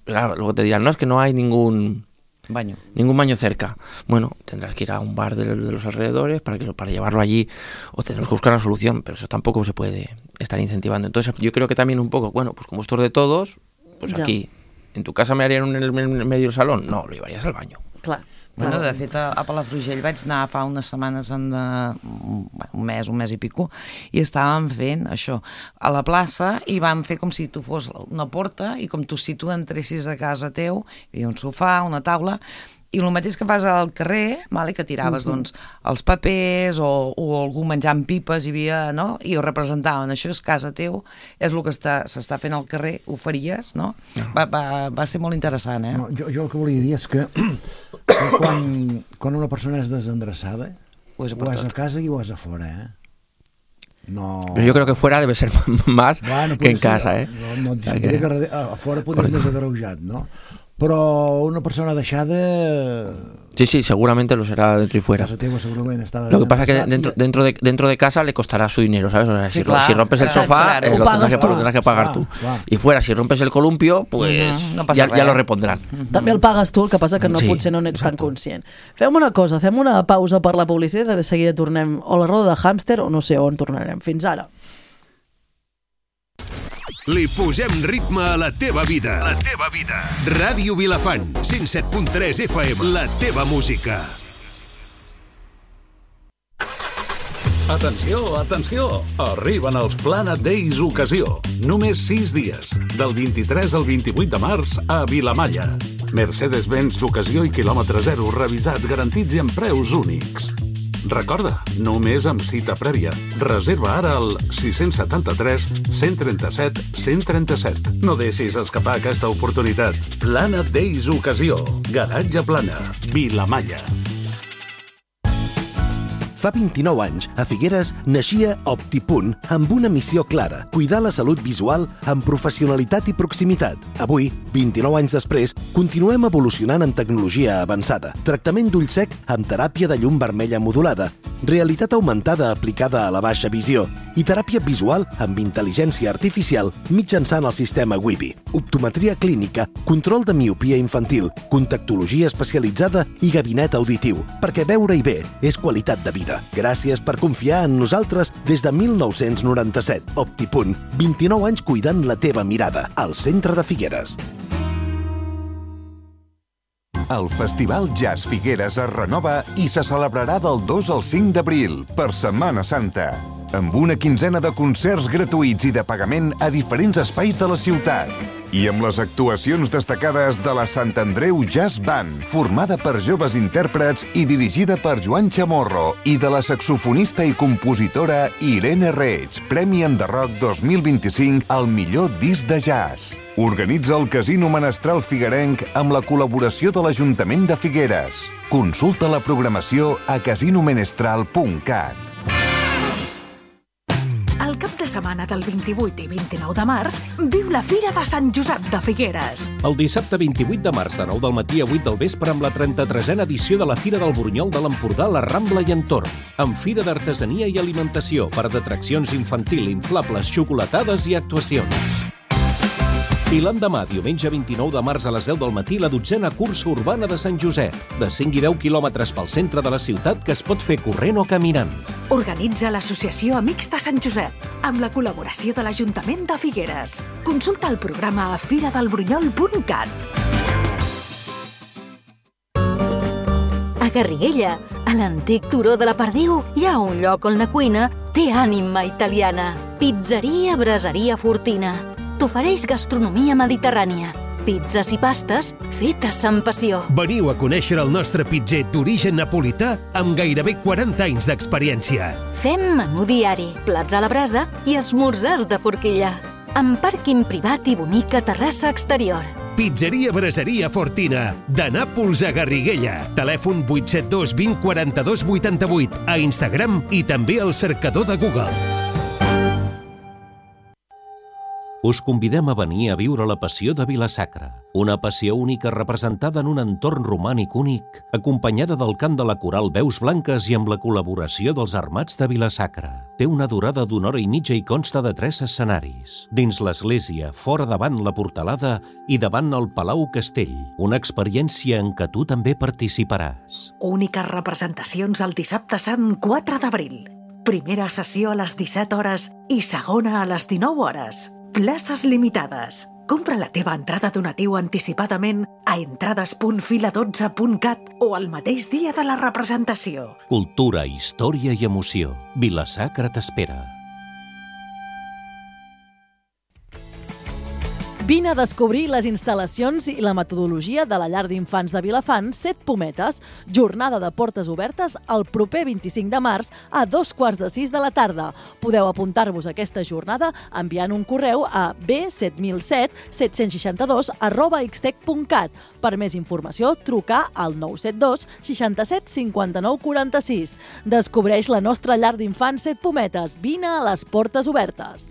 claro, luego te dirán, no, es que no hay ningún baño cerca. Bueno, tendrás que ir a un bar de los alrededores para llevarlo allí o tendrás que buscar una solución, pero eso tampoco se puede estar incentivando. Entonces yo creo que también un poco, bueno, pues como esto es de todos, pues aquí... ¿En tu casa me harían en el medio del salón? No, lo llevarías al baño. Clar. Bueno, de fet, a Palafrugell vaig anar fa unes setmanes, un mes i pico, i estàvem fent això a la plaça i vam fer com si tu fos una porta i com si tu entressis a casa teu, hi havia un sofà, una taula, i el mateix que fas al carrer, que tiraves els papers o algú menjant pipes hi havia, no? I ho representaven, això és casa teu, és el que s'està fent al carrer, ho faries, no? Va ser molt interessant, No, jo el que volia dir és que quan una persona és desendreçada, o és a casa i o és a fora, No... Pero yo creo que fuera debe ser más que en casa, No et diré que a fora podria ser més agreujat, no? Però una persona deixada... Sí, seguramente lo será dentro y fuera. Casa teva segurament està... Lo que pasa es que dentro de casa le costará su dinero, ¿sabes? O sea, si rompes el sofá, lo tendrás que pagar tú. Y fuera, si rompes el columpio, pues ya lo repondrán. També el pagues tu, el que passa que potser no n'ets tan conscient. Fem una cosa, fem una pausa per la publicitat i de seguida tornem o a la roda de hàmster o no sé on tornarem. Fins ara. Li posem ritme a la teva vida. La teva vida. Ràdio Vilafant, 107.3 FM, la teva música. Atenció, atenció! Arriben els Planet Days Ocasió. Només 6 dies, del 23 al 28 de març a Vilamalla. Mercedes-Benz d'ocasió i quilòmetre zero, revisats, garantits i amb preus únics. Recorda, només amb cita prèvia. Reserva ara al 673 137 137. No deixis escapar aquesta oportunitat. Planet Days Ocasió. Garatge Plana. Vilamalla. Fa 29 anys, a Figueres, naixia Optipunt amb una missió clara: cuidar la salut visual amb professionalitat i proximitat. Avui, 29 anys després, continuem evolucionant en tecnologia avançada. Tractament d'ull sec amb teràpia de llum vermella modulada, realitat augmentada aplicada a la baixa visió i teràpia visual amb intel·ligència artificial mitjançant el sistema Wibi. Optometria clínica, control de miopia infantil, contactologia especialitzada i gabinet auditiu, perquè veure-hi bé és qualitat de vida. Gràcies per confiar en nosaltres des de 1997. Optipunt, 29 anys cuidant la teva mirada, al centre de Figueres. El Festival Jazz Figueres es renova i se celebrarà del 2 al 5 d'abril, per Setmana Santa, amb una quinzena de concerts gratuïts i de pagament a diferents espais de la ciutat. I amb les actuacions destacades de la Sant Andreu Jazz Band, formada per joves intèrprets i dirigida per Joan Chamorro, i de la saxofonista i compositora Irene Reig, Premi Enderroc 2025 al millor disc de jazz. Organitza el Casino Menestral Figuerenc amb la col·laboració de l'Ajuntament de Figueres. Consulta la programació a casinomenestral.cat. El cap de setmana del 28 i 29 de març, viu la Fira de Sant Josep de Figueres. El dissabte 28 de març, de 9 del matí a 8 del vespre, amb la 33a edició de la Fira del Burunyol de l'Empordà, la Rambla i entorn, amb fira d'artesania i alimentació, parc d'atraccions infantil, inflables, xocolatades i actuacions. I l'endemà, diumenge 29 de març a les 10 del matí, la 12a cursa urbana de Sant Josep, de 5 i 10 quilòmetres pel centre de la ciutat, que es pot fer corrent o caminant. Organitza l'Associació Amics de Sant Josep, amb la col·laboració de l'Ajuntament de Figueres. Consulta el programa a firadelburunyol.cat. A Garriguella, a l'antic turó de la Perdiu, hi ha un lloc on la cuina té ànima italiana. Pizzeria Braseria Fortina. T'ofereix gastronomia mediterrània, pizzas i pastes fetes amb passió. Veniu a conèixer el nostre pitzer d'origen napolità amb gairebé 40 anys d'experiència. Fem menú diari, plats a la brasa i esmorzars de forquilla, amb pàrquing privat i bonica terrassa exterior. Pizzeria Braseria Fortina, de Nàpols a Garriguella. Telèfon 872 20 42 88, a Instagram i també al cercador de Google. Us convidem a venir a viure la passió de Vila-sacra, una passió única representada en un entorn romànic únic, acompanyada del cant de la coral Veus Blanques i amb la col·laboració dels Armats de Vila-sacra. Té una durada d'1 hora i mitja i consta de 3 escenaris. Dins l'església, fora davant la portalada i davant el Palau Castell, una experiència en què tu també participaràs. Úniques representacions el dissabte sant 4 d'abril. Primera sessió a les 17 hores i segona a les 19 hores. Places limitades. Compra la teva entrada donatiu anticipadament a entrades.fila12.cat o el mateix dia de la representació. Cultura, història i emoció. Vila-sacra t'espera. Vine a descobrir les instal·lacions i la metodologia de la llar d'infants de Vilafant, 7 Pometes, jornada de portes obertes el proper 25 de març a 2:15 de la tarda. Podeu apuntar-vos a aquesta jornada enviant un correu a b7007-762@xtec.cat. Per més informació, trucar al 972 67 59 46. Descobreix la nostra llar d'infants 7 Pometes. Vine a les portes obertes.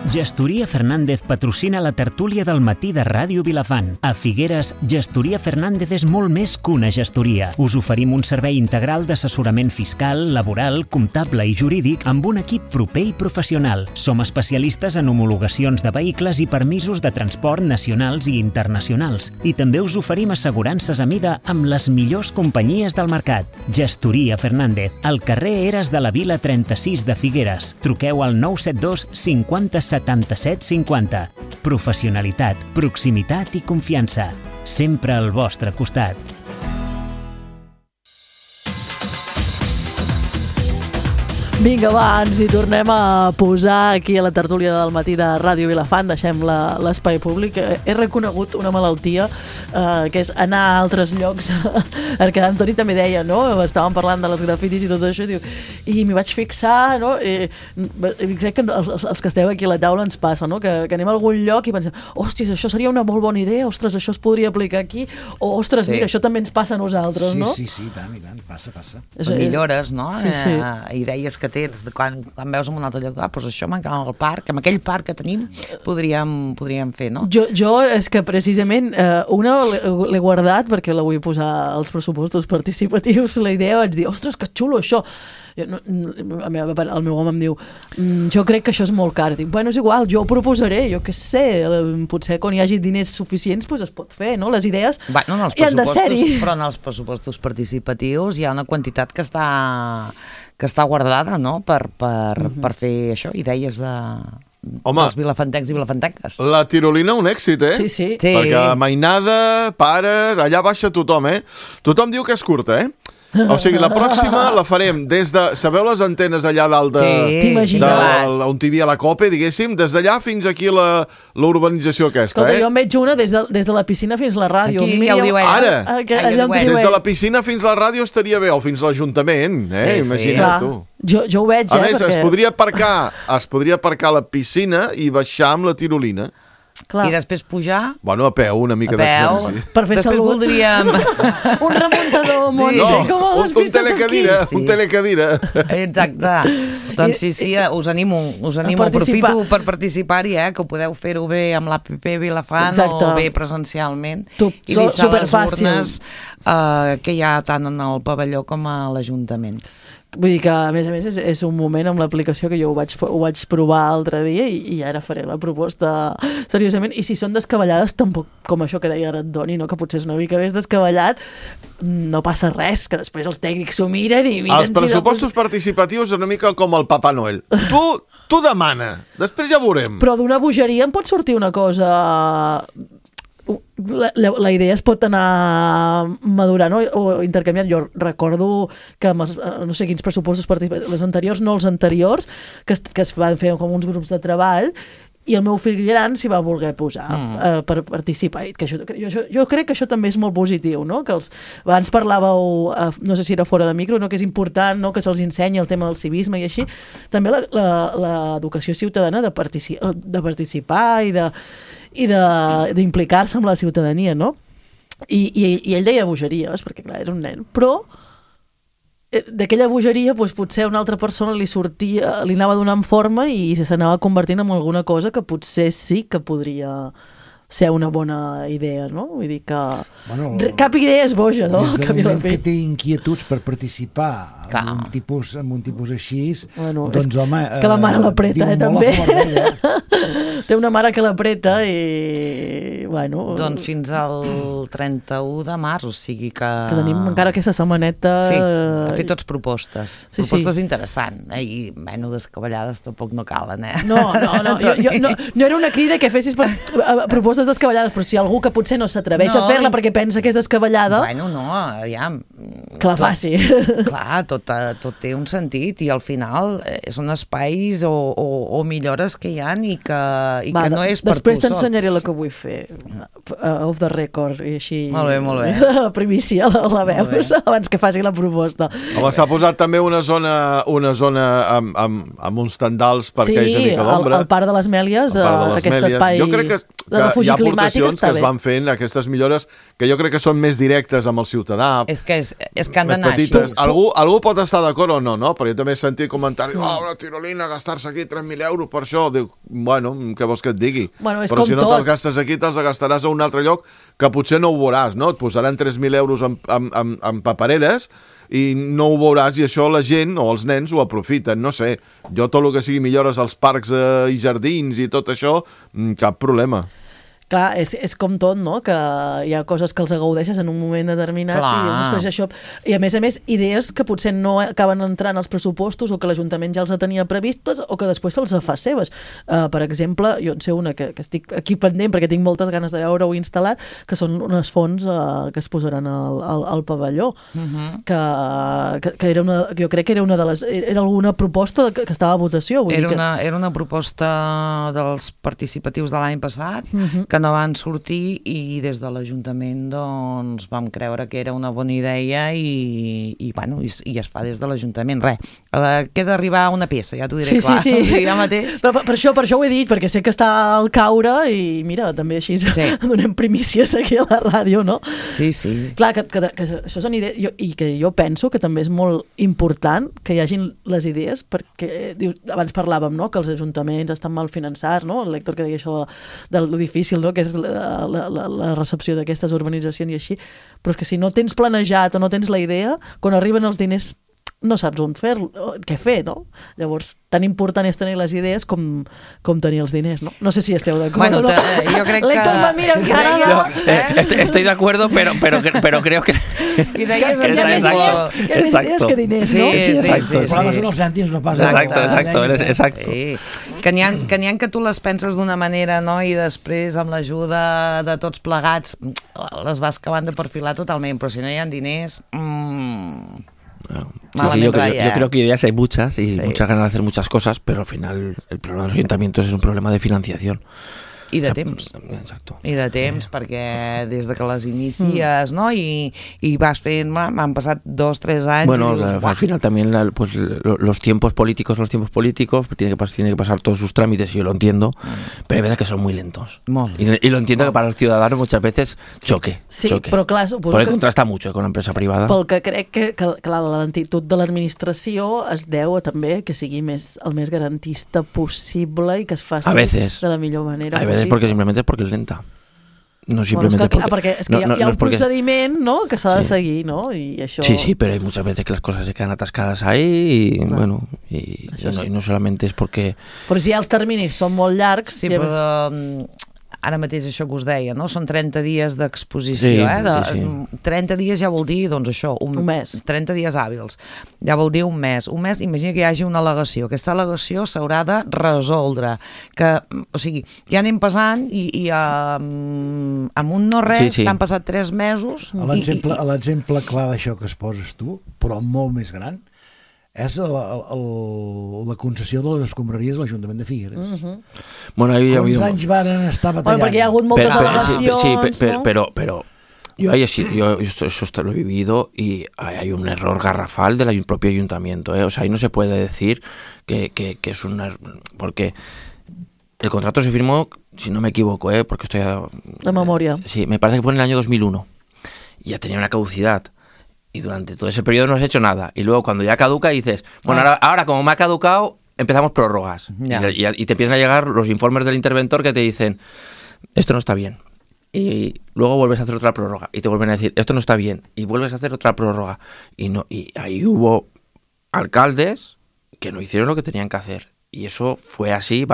Gestoria Fernández patrocina la tertúlia del matí de Ràdio Vilafant. A Figueres, Gestoria Fernández és molt més que una gestoria. Us oferim un servei integral d'assessorament fiscal, laboral, comptable i jurídic amb un equip proper i professional. Som especialistes en homologacions de vehicles i permisos de transport nacionals i internacionals. I també us oferim assegurances a mida amb les millors companyies del mercat. Gestoria Fernández, al carrer Eres de la Vila 36 de Figueres. Truqueu al 972 50 77 50. Professionalitat, proximitat i confiança. Sempre al vostre costat. Vinga, va, ens hi tornem a posar aquí a la tertúlia del matí de Ràdio Vilafant. Deixem l'espai públic. He reconegut una malaltia que és anar a altres llocs. Perquè Antoni també deia, no? Estàvem parlant de les grafitis i tot això, i m'hi vaig fixar, no? I crec que els que esteu aquí a la taula ens passa, no? Que anem a algun lloc i pensem, hòsties, això seria una molt bona idea, ostres, això es podria aplicar aquí, o ostres, mira, això també ens passa a nosaltres, no? Sí, tant, i tant, passa. Millores, no? Sí. Idees que tens quan veus en un altre lloc, doncs això m'encanta al parc, amb aquell parc que tenim podríem fer, no? Jo és que precisament una l'he guardat perquè la vull posar als pressupostos participatius, la idea, vaig dir, ostres, que xulo això. El meu home em diu, jo crec que això és molt car. Dic, bueno, és igual, jo ho proposaré, jo què sé, potser quan hi hagi diners suficients es pot fer, no? Les idees hi han de ser-hi. Però en els pressupostos participatius hi ha una quantitat que està guardada, no?, per fer això, idees dels vilafantencs i vilafantenques. La tirolina un èxit, eh? Sí. Perquè mainada, pares, allà baixa tothom, eh? Tothom diu que és curta, eh? O sigui, la pròxima la farem des de... Sabeu les antenes allà dalt on hi havia la COPE, diguéssim? Des d'allà fins aquí la urbanització aquesta, jo en veig una des de la piscina fins a la ràdio. Aquí ja ho diu ell. Ara, des de la piscina fins a la ràdio estaria bé, o fins a l'Ajuntament, imagina't tu. Jo ho veig, a més, es podria aparcar a la piscina i baixar amb la tirolina. Clar. I després pujar... Bueno, a peu, una mica d'exercici. Per fer després salut. Voldríem... un remuntador, un telecadira. Exacte. Doncs sí, us animo, aprofito per participar-hi, que ho podeu fer-ho bé amb l'APP Vilafant o bé presencialment. I deixar les urnes que hi ha tant en el pavelló com a l'Ajuntament. Vull dir que, a més, és un moment amb l'aplicació que jo ho vaig provar l'altre dia i ara faré la proposta seriosament. I si són descabellades, tampoc, com això que deia Antoni, no? Que potser és una mica més descabellat, no passa res, que després els tècnics s'ho miren i miren... Els pressupostos participatius una mica com el Papa Noel. Tu demana, després ja veurem. Però d'una bogeria en pot sortir una cosa... La idea es pot anar madurant o intercanviant. Jo recordo que no sé quins pressupostos participatius, les anteriors, no els anteriors, que es van fer com uns grups de treball, i el meu fill gran s'hi va voler posar per participar. Jo crec que això també és molt positiu, no? Que abans parlàveu, no sé si era fora de micro, no? Que és important, no? Que se'ls ensenyi el tema del civisme i així. També l'educació ciutadana de participar i d'implicar-se amb la ciutadania, no? I ell deia bogeries, perquè clar, era un nen, però d'aquella bogeria potser a una altra persona li anava donant forma i s'anava convertint en alguna cosa que potser sí que podria ser una bona idea, no? Vull dir que cap idea és boja, no? Des del moment que té inquietuds per participar en un tipus així, doncs home... És que la mare l'apreta, també. Té una mare que l'apreta i... bueno... Doncs fins al 31 de març, o sigui que... Que tenim encara aquesta setmaneta... Sí, ha fet tots propostes. Propostes interessants, i descabellades tampoc no calen, eh? No, no era una crida que fessis propostes descabellades, però si algú que potser no s'atreveix a fer-la perquè pensa que és descabellada... Bueno, no, aviam... Que la faci. Clar, tot té un sentit i al final són espais o millores que hi ha i que no és per tu sol. Després t'ensenyaré la que vull fer off the record i així... Molt bé. Primícia la veus abans que faci la proposta. Home, s'ha posat també una zona amb uns tendals perquè hi hagi una mica d'ombra. Sí, el Parc de les Mèlies, aquest espai... Jo crec que refugi climàtic està bé. Que es van fent, aquestes millores, que jo crec que són més directes amb el ciutadà. És que han d'anar així. Algú pot estar d'acord o no, però jo també he sentit comentaris, una tirolina, gastar-se aquí 3.000 euros per això. Dic, bueno, què vols que et digui? Però si no te'ls gastes aquí, te'ls gastaràs a un altre lloc que potser no ho veuràs, no? Et posaran 3.000 euros en papereres i no ho veuràs, i això la gent o els nens ho aprofiten, no sé. Jo tot el que sigui millores als parcs i jardins i tot això, cap problema. Clar, és com tot, no? Que hi ha coses que els agaudeixes en un moment determinat i dius, ostres, això... I a més, idees que potser no acaben entrant als pressupostos o que l'Ajuntament ja els tenia previstes o que després se'ls fa seves. Per exemple, jo en sé una que estic aquí pendent perquè tinc moltes ganes de veure-ho instal·lat, que són unes fonts que es posaran al pavelló. Que era una... Jo crec que era una de les... Era alguna proposta que estava a votació. Era una proposta dels participatius de l'any passat, que no van sortir, i des de l'Ajuntament doncs vam creure que era una bona idea i es fa des de l'Ajuntament. Queda arribar una peça, ja t'ho diré clar. Sí. Ja mateix. Però per això ho he dit, perquè sé que està al caure i mira, també així donem primícies aquí a la ràdio, no? Sí. Clar, que això són idees, i que jo penso que també és molt important que hi hagin les idees, perquè abans parlàvem, no?, que els ajuntaments estan mal finançats, no? El Héctor que deia això de lo difícil, no?, que és la recepció d'aquestes urbanitzacions i així, però és que si no tens planejat o no tens la idea, quan arriben els diners no saps on què fer, no? Llavors, tan important és tenir les idees com tenir els diners, no? No sé si esteu d'acord. Bueno, jo crec que... L'Héctor me mira amb cara de... Estoy de acuerdo, pero creo que... I deies que més idees que diners, no? Sí. Els problemes són els cèntims, no pas... Exacto. Que n'hi ha que tu les penses d'una manera, no?, i després amb l'ajuda de tots plegats les vas acabant de perfilar totalment, però si no hi ha diners... Sí, yo creo que ideas hay muchas y muchas ganas de hacer muchas cosas, pero al final el problema de los ayuntamientos es un problema de financiación. I de temps. Exacto. I de temps, perquè des de que les inicies, no?, i vas fent, han passat 2-3 anys... Bueno, i dius, al final también los tiempos políticos tiene que pasar todos sus trámites, y yo lo entiendo, pero hay veces que son muy lentos. Y lo entiendo que para el ciudadano muchas veces choque. Sí, però clar, suposo porque contrasta mucho con la empresa privada. Pel que crec que la lentitud de l'administració es deu a també que sigui el més garantista possible i que es faci de la millor manera possible. Porque simplemente es porque es lenta. No simplemente porque es que hi ha un procediment, no?, que s'ha de seguir, no? I això... Sí, pero hay muchas veces que las cosas se quedan atascadas ahí y no solamente es porque... Però si els terminis són molt llargs... Sí, però ara mateix això que us deia, no? Són 30 dies d'exposició, 30 dies ja vol dir, doncs això, un mes. 30 dies hàbils, ja vol dir un mes. Imagina que hi hagi una al·legació. Aquesta al·legació s'haurà de resoldre. O sigui, ja anem passant i amb un no res, t'han passat 3 mesos... L'exemple clar d'això que es poses tu, però molt més gran, és la concessió de les escombraries a l'Ajuntament de Figueres. Bueno, ahí Quants anys van estar batallant? Perquè hi ha hagut moltes al·legacions, no? Pero yo esto lo he vivido y hay un error garrafal del propio ayuntamiento, ¿eh? O sea, ahí no se puede decir que es un error, porque el contrato se firmó, si no me equivoco, porque estoy de memoria. Sí, me parece que fue en el año 2001. Y ya tenía una caducidad. Y durante todo ese periodo no has hecho nada. Y luego cuando ya caduca dices, bueno, ahora como me ha caducado, empezamos prórrogas. Y te empiezan a llegar los informes del interventor que te dicen, esto no está bien. Y luego vuelves a hacer otra prórroga. Y te vuelven a decir, esto no está bien. Y vuelves a hacer otra prórroga. Y ahí hubo alcaldes que no hicieron lo que tenían que hacer. Y eso fue así,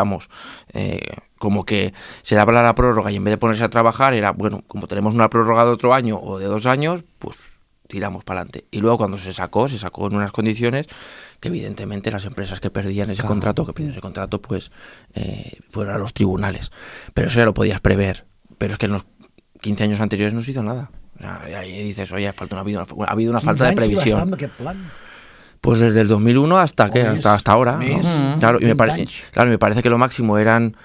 como que se daba la prórroga y en vez de ponerse a trabajar era, bueno, como tenemos una prórroga de otro año o de 2 años, pues tiramos para adelante. Y luego cuando se sacó en unas condiciones que evidentemente las empresas que perdían ese contrato, pues fueron a los tribunales. Pero eso ya lo podías prever. Pero es que en los 15 años anteriores no se hizo nada. O sea, ahí dices, oye, ha habido una falta de previsión. Pues desde el 2001 hasta ahora, ¿no? Claro, y me parece que lo máximo eran,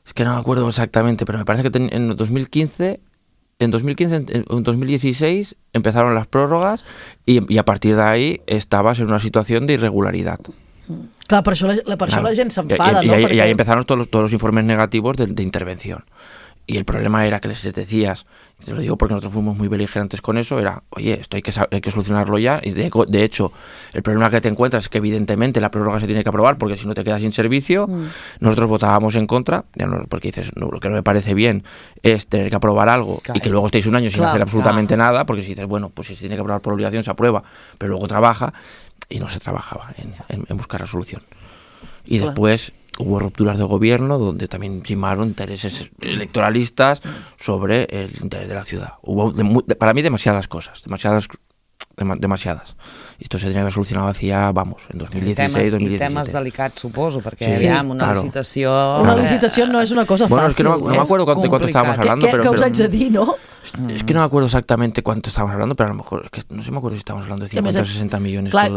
es que no me acuerdo exactamente, pero me parece que en 2015, en 2016 empezaron las prórrogas y a partir de ahí estabas en una situación de irregularidad. Clar, per això la gent s'enfada, y ahí empezaron todos los informes negativos de intervención. Y el problema era que les decías, te lo digo porque nosotros fuimos muy beligerantes con eso, era, oye, esto hay que solucionarlo ya. Y de hecho, el problema que te encuentras es que evidentemente la prórroga se tiene que aprobar porque si no te quedas sin servicio. Nosotros votábamos en contra, porque dices, no, lo que no me parece bien es tener que aprobar algo y que luego estéis un año sin hacer absolutamente nada, porque si dices, bueno, pues si se tiene que aprobar por obligación se aprueba, pero luego trabaja, y no se trabajaba en buscar la solución. Y después hubo rupturas de gobierno donde también primaron intereses electoralistas sobre el interés de la ciudad. Hubo para mí demasiadas cosas, demasiadas. I esto se tenia que solucionar hacía, en 2016, 2017. I temes delicats, suposo, perquè aviam, una licitació... Una licitació no és una cosa fàcil. Es que no me acuerdo de cuánto estábamos hablando. ¿Qué os haig de dir, no? Es que no me acuerdo exactamente cuánto estábamos hablando, pero a lo mejor, es que no sé, me acuerdo si estábamos hablando de 50 o 60 millones. Clar,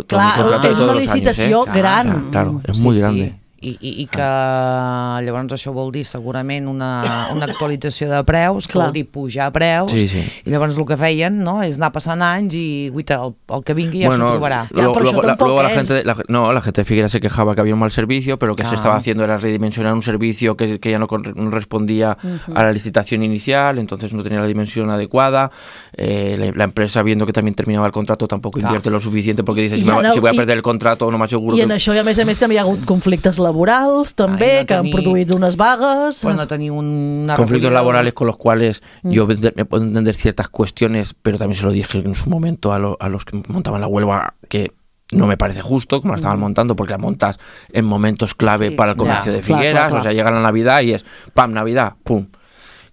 és una licitació gran. Claro, es muy grande. I que llavors això vol dir segurament una actualització de preus, que vol dir pujar preus, i llavors el que feien és anar passant anys i el que vingui ja s'aprovarà. Luego la gente de Figueras se quejaba que había un mal servicio, pero lo que se estaba haciendo era redimensionar un servicio que ya no respondía a la licitación inicial, entonces no tenía la dimensión adecuada. La empresa, viendo que también terminaba el contrato, tampoco invierte lo suficiente porque dice, si voy a perder el contrato no m'asseguro. I en això, a més també hi ha hagut conflictes laborals també, que han produït unes vagues. Pues no tenir una conflictos laborales con los cuales yo me puedo entender ciertas cuestiones, pero también se lo dije en su momento a los que montaban la huelga, que no me parece justo como la estaban montando, porque la montas en momentos clave para el comercio de Figueras, o sea, llega la Navidad y es ¡pam! Navidad, ¡pum!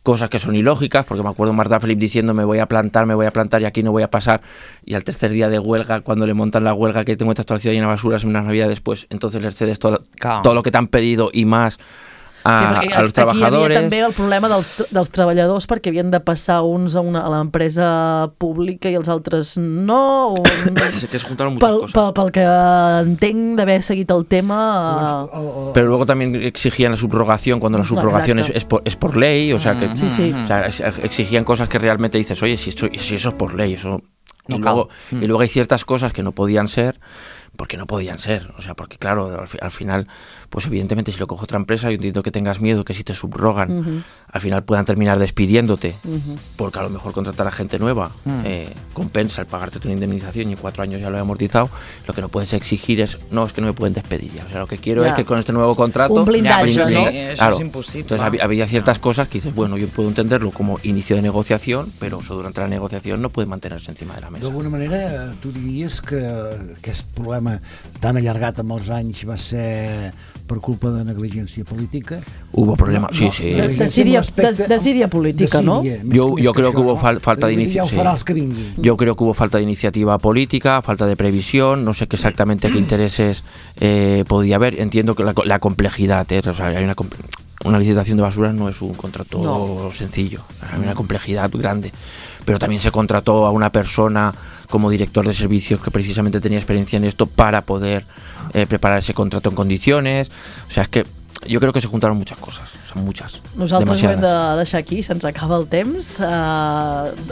Cosas que son ilógicas, porque me acuerdo Marta Felip diciendo me voy a plantar y aquí no voy a pasar, y al tercer día de huelga, cuando le montan la huelga, que tengo esta ciudad llena de basuras en una Navidad después, entonces les cedes todo lo que te han pedido y más a los trabajadores. Aquí hi havia també el problema dels treballadors, perquè havien de passar uns a l'empresa pública i els altres no. Que se juntaron muchas cosas. Pel que entenc d'haver seguit el tema. Pero luego también exigían la subrogación, cuando la subrogación es por ley, o sea, que o sea, exigían cosas que realmente dices, oye, si eso es por ley, eso... Y luego hay ciertas cosas que no podían ser, porque no podían ser, o sea, porque claro, al final, pues evidentemente si lo coge otra empresa, yo entiendo que tengas miedo que si te subrogan, al final puedan terminar despidiéndote, porque a lo mejor contratar a gente nueva compensa el pagarte tu indemnización y en 4 años ya lo he amortizado. Lo que no puedes exigir es que no me pueden despedir ya, o sea, lo que quiero es que con este nuevo contrato... Un blindaje, ¿no? Eso es imposible. Entonces había ciertas cosas que dices, bueno, yo puedo entenderlo como inicio de negociación, pero eso durante la negociación no puede mantenerse encima de la mesa. D'alguna manera, tu diries que aquest problema tan allargat amb els anys va ser per culpa de negligència política? Hubo problemas, sí. Desídia política, ¿no? Yo creo que hubo falta de iniciativa. Yo creo que hubo falta de iniciativa política, falta de previsión, no sé qué exactamente qué intereses podía haber. Entiendo que la complejidad, o sea, hay una licitación de basuras no es un contrato sencillo, hay una complejidad grande. Pero también se contrató a una persona como director de servicios que precisamente tenía experiencia en esto para poder preparar ese contrato en condiciones. O sea, es que jo crec que se juntaron muchas cosas, són muchas. Nosaltres ho hem de deixar aquí, se'ns acaba el temps.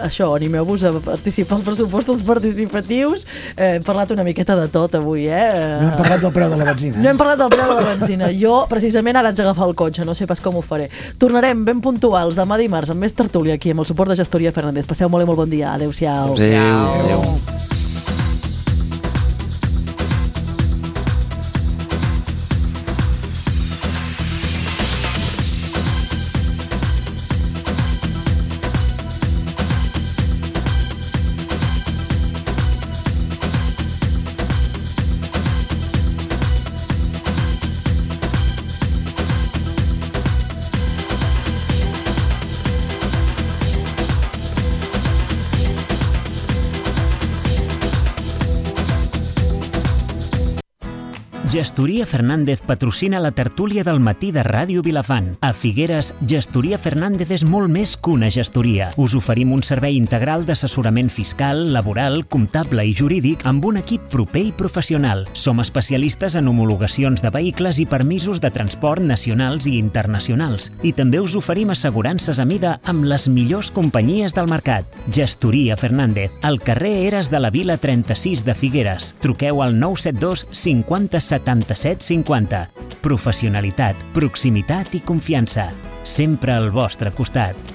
Això, animeu-vos a participar als pressupostos participatius. Hem parlat una miqueta de tot avui, No hem parlat del preu de la benzina. No hem parlat del preu de la benzina. Jo, precisament, ara haig d'agafar el cotxe, no sé pas com ho faré. Tornarem ben puntuals demà dimarts amb més tertúlia aquí amb el suport de Gestoria Fernández. Passeu molt i molt bon dia. Adéu-siau. Adéu. Gestoria Fernández patrocina la tertúlia del matí de Ràdio Vilafant. A Figueres, Gestoria Fernández és molt més que una gestoria. Us oferim un servei integral d'assessorament fiscal, laboral, comptable i jurídic amb un equip proper i professional. Som especialistes en homologacions de vehicles i permisos de transport nacionals i internacionals. I també us oferim assegurances a mida amb les millors companyies del mercat. Gestoria Fernández, al carrer Eres de la Vila 36 de Figueres. Truqueu al 972 50 77 50. professionalitat, proximitat i confiança. Sempre al vostre costat.